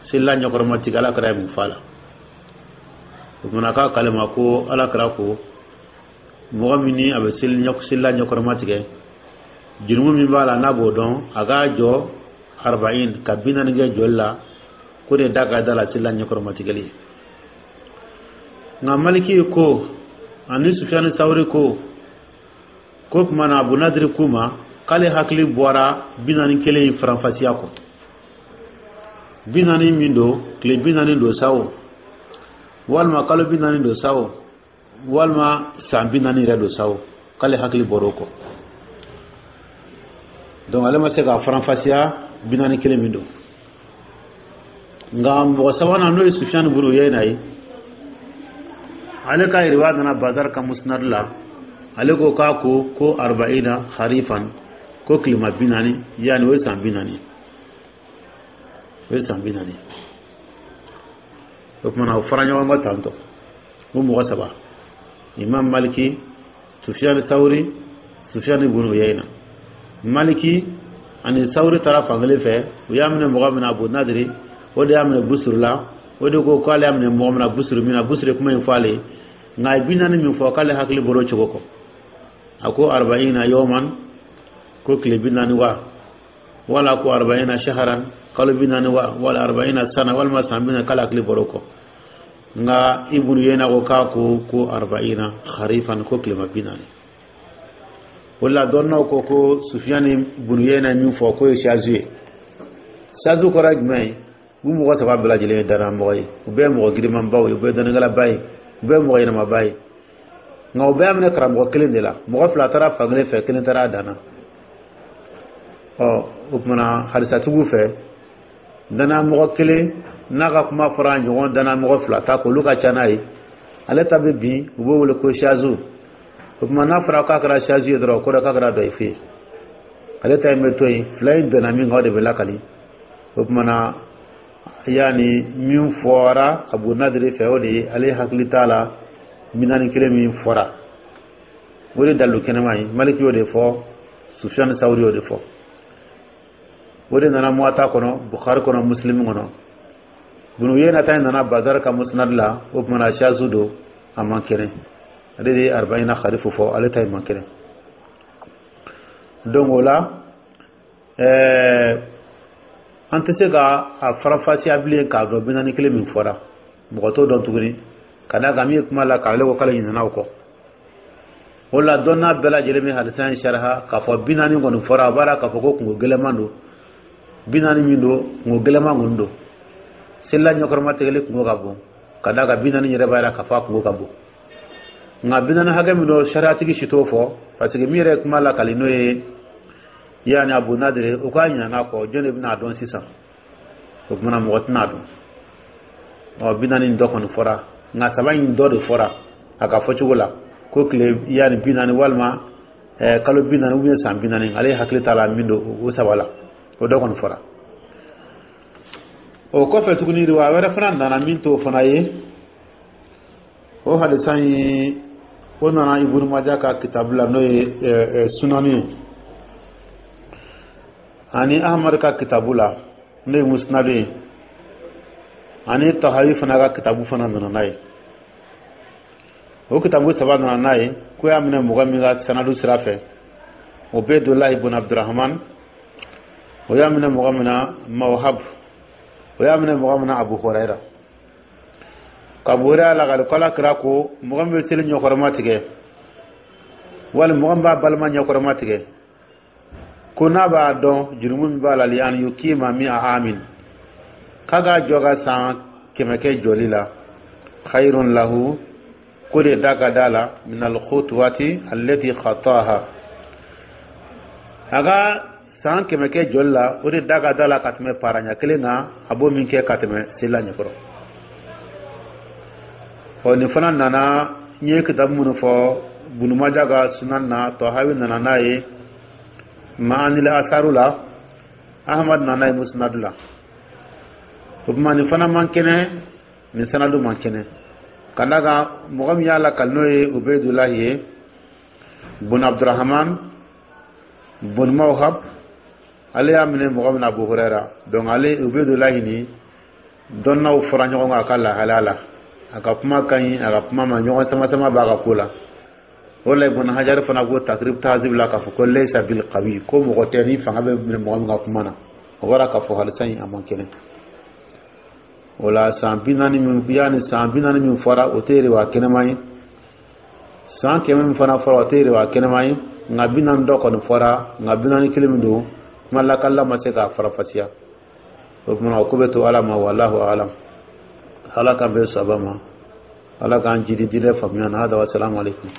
selila ɲɛkɔrɔmatigi, Ala kɛra ye mun f'a la. O kumana k'a k'ale ma ko Ala kɛra ko mɔgɔ min ni a bɛ selila ɲɛkɔrɔma tigɛ, jurumu min b'a la, n'a b'o dɔn, a k'a jɔ arba'in, ka bi naani kɛ jɔli la, ko de da ka da la selila ɲɛkɔrɔma tigɛli ye. Nka Maliki ko ani Sufiyani Sawuri ko ko tuma na Abu Nadiri k'u ma k'ale hakili bɔra bi naani kelen in faranfasiya kɔ, bi naani min don, tile bi naani don sa o, walima kalo bi naani don sa o, walima san bi naani yɛrɛ don sa o, k'ale hakili bɔra o kɔ. Donc ale ma se k'a faranfasiya bi naani kelen min don. Nka mɔgɔ sabanan, n'o ye Sufiyani bun Uyayna ye, ale ka riwaya nana Bazar ka Musnad la. Ale ko k'a ko ko arba'ina kharifan, ko kilema bi naani, yani o ye san bi naani, o ye san bi naani. O kumana o fara ɲɔgɔn kan tantɔ o mɔgɔ saba, Imam Maliki, Sufiyani Sawuri, Sufiyani bun Uyayna. Maliki ani Sawuri taara fankelen fɛ. U y'a minɛ mɔgɔ min na, Abu Nadiri, o de y'a minɛ Busuru la. O de ko k'ale y'a minɛ mɔgɔ min na, Busuru min na, Busuru kuma in fɔ ale ye. Nka a ye bi naani min fɔ, k'ale hakili bɔra o cogo kɔ. A ko arba'ina yawman, ko tile bi naani wa, wala ko arba'ina shaharan, kalo bi naani wa, wala arba'ina sana, walima san bi naani, k'ale hakili bɔra o kɔ. Nka Ibnu Yena ko k'a ko ko arba'ina kharifan, ko tilema bi naani. O la, dɔnnaw ko ko Sufiyani bunu Yena ye min fɔ, k'o ye shazu ye. Shazu kɔrɔ ye jumɛn ye? U mɔgɔ saba bɛɛ lajɛlen ye danamɔgɔ ye, u bɛɛ ye mɔgɔ girimanbaw ye, u bɛɛ ye dɔnnikɛlaba ye, u bɛɛ ye mɔgɔ ɲɛnamaba ye. Nka u bɛɛ y'a minɛ karamɔgɔ kelen de la. Mɔgɔ fila taara fankelen fɛ, kelen taara a dan na. Ɔ, o kumana hadisatigiw fɛ, danamɔgɔ kelen n'a ka kuma fɔra ɲɔgɔn danamɔgɔ fila ta k'olu ka ca n'a ye, ale ta bɛ bin, u b'o wele ko shazu. O tuma n'a fɔra k'a kɛra shazu ye dɔrɔn, o kɔrɔ k'a kɛra dɔyifu ye. Ale ta in bɛ to yen, fila in bɛnna min kan, o de bɛ lakali. O tuma na, yaani min fɔra Abu Nadiri fɛ, o de ye ale hakili t'a la bi naani kelen min fɔra, o de dalilu kɛnɛma ye. Maliki y'o de fɔ, Sufiyani Sawuri y'o de fɔ. O de nana Muwata kɔnɔ, Bukhari kɔnɔ, Muslim kɔnɔ. Bunu Yena ta in nana Bazar ka Musnad la. O tuma na shazu don, a man kɛnɛ. Ale de ye arba'ina kharifu fɔ, ale ta in man kɛnɛ. Donc o la, ɛɛ an tɛ se ka a faranfasiya bilen k'a dɔn bi naani kelen min fɔra. Mɔgɔ t'o dɔn tuguni, ka d'a kan min ye kuma la k'ale ko k'ale ɲinɛna o kɔ. O la, dɔnna bɛɛ lajɛlen bɛ hadisa in sariya k'a fɔ bi naani kɔni fɔra. A b'a la k'a fɔ ko kungo gɛlɛman don. Bi naani min don, kungo gɛlɛman kɔni don. Selila ɲɛkɔrɔma tigɛli kungo ka bon, ka d'a kan bi naani yɛrɛ b'a jira k'a fɔ a kungo ka bon. Nka bi naani hakɛ min don, sariyatigi si t'o fɔ, parce que min yɛrɛ ye kuma lakali, n'o ye yaani Abu Nadiri, o k'a ɲinɛna kɔ. Jɔn de bɛna dɔn sisan? O kumana mɔgɔ tɛna dɔn. Ɔ, bi naani dɔ kɔni fɔra, nka saba in dɔ de fɔra a ka fɔcogo la, ko tile yaani bi naani, walima kalo bi naani, ou bien san bi naani. Ale hakili t'a la min don o saba la, o dɔ kɔni fɔra. O kɔfɛ tuguni, riwaya wɛrɛ fana nana min t'o fana ye. O hadisa in, o nana Ibunu Maja ka kitabu la, n'o ye Sunani ye, ani Ahmad ka kitabu la, n'o ye Musnad ye, ani Tahawi fana ka kitabu fana nana n'a ye. O kitabu saba nana n'a ye ko y'a minɛ mɔgɔ min ka sanadu sira fɛ, Ubaydullah ibn Abdurrahman. O y'a minɛ mɔgɔ min na, Mawhab. O y'a minɛ mɔgɔ min na, Abu Huraira. Ka Abu Huraira lakali ko Ala kira ko mɔgɔ min bɛ seli ɲɛkɔrɔma tigɛ, wali mɔgɔ min b'a balima ɲɛkɔrɔma tigɛ, ko n'a b'a dɔn jurumu min b'a la, li an yukima mi'a amin, k'a k'a jɔ ka san kɛmɛ kɛ jɔli la, khayrun lahu, ko de da ka da la, min alkhutwati allati khataha. A ka san kɛmɛ kɛ jɔli la, o de da ka da la ka tɛmɛ paraɲa kelen kan, a b'o min kɛ ka tɛmɛ selila ɲɛkɔrɔ. Ɔ, nin fana nana, n ye kitabu minnu fɔ, Bunumaja ka Sunan na, Tɔhawi nana n'a ye Maanil Asaru la, Ahmad nana ye Musnadu la. O tuma, nin fana man kɛnɛ, nin sanadu man kɛnɛ, ka d'a kan mɔgɔ min y'a lakali, n'o ye Ubedulahi ye bun Abdurahman bun Mawhab, ale y'a minɛ mɔgɔ min na, Abu Hurera. Donc ale Ubedulahi ni dɔnnaw fɔra ɲɔgɔn kan a ka lahalaya la, a ka kuma ka ɲi, a ka kuma ma ɲɔgɔn sama sama b'a ka ko la. O la, Ibn Hajar fana ko Takrib Tahzib la k'a fɔ ko laysa bil qawi, ko mɔgɔ tɛ ni fanga bɛ minɛ mɔgɔ min ka kuma na. O bɔra k'a fɔ halisa in a man kɛnɛ. O la, san bi naani min yanni san bi naani min fɔra, o tɛ riwaya kɛnɛma ye. San kɛmɛ min fana fɔra, o tɛ riwaya kɛnɛma ye. Nka bi naani dɔ kɔni fɔra, nka bi naani kelen min don, kuma lakalila ma se k'a farafasiya. O tuma, o ko bɛ to Ala ma. Wallahu alam. Ala k'an bɛn saba ma, Ala k'an jidi diinɛ faamuya na. Hada wa salamu aleykum.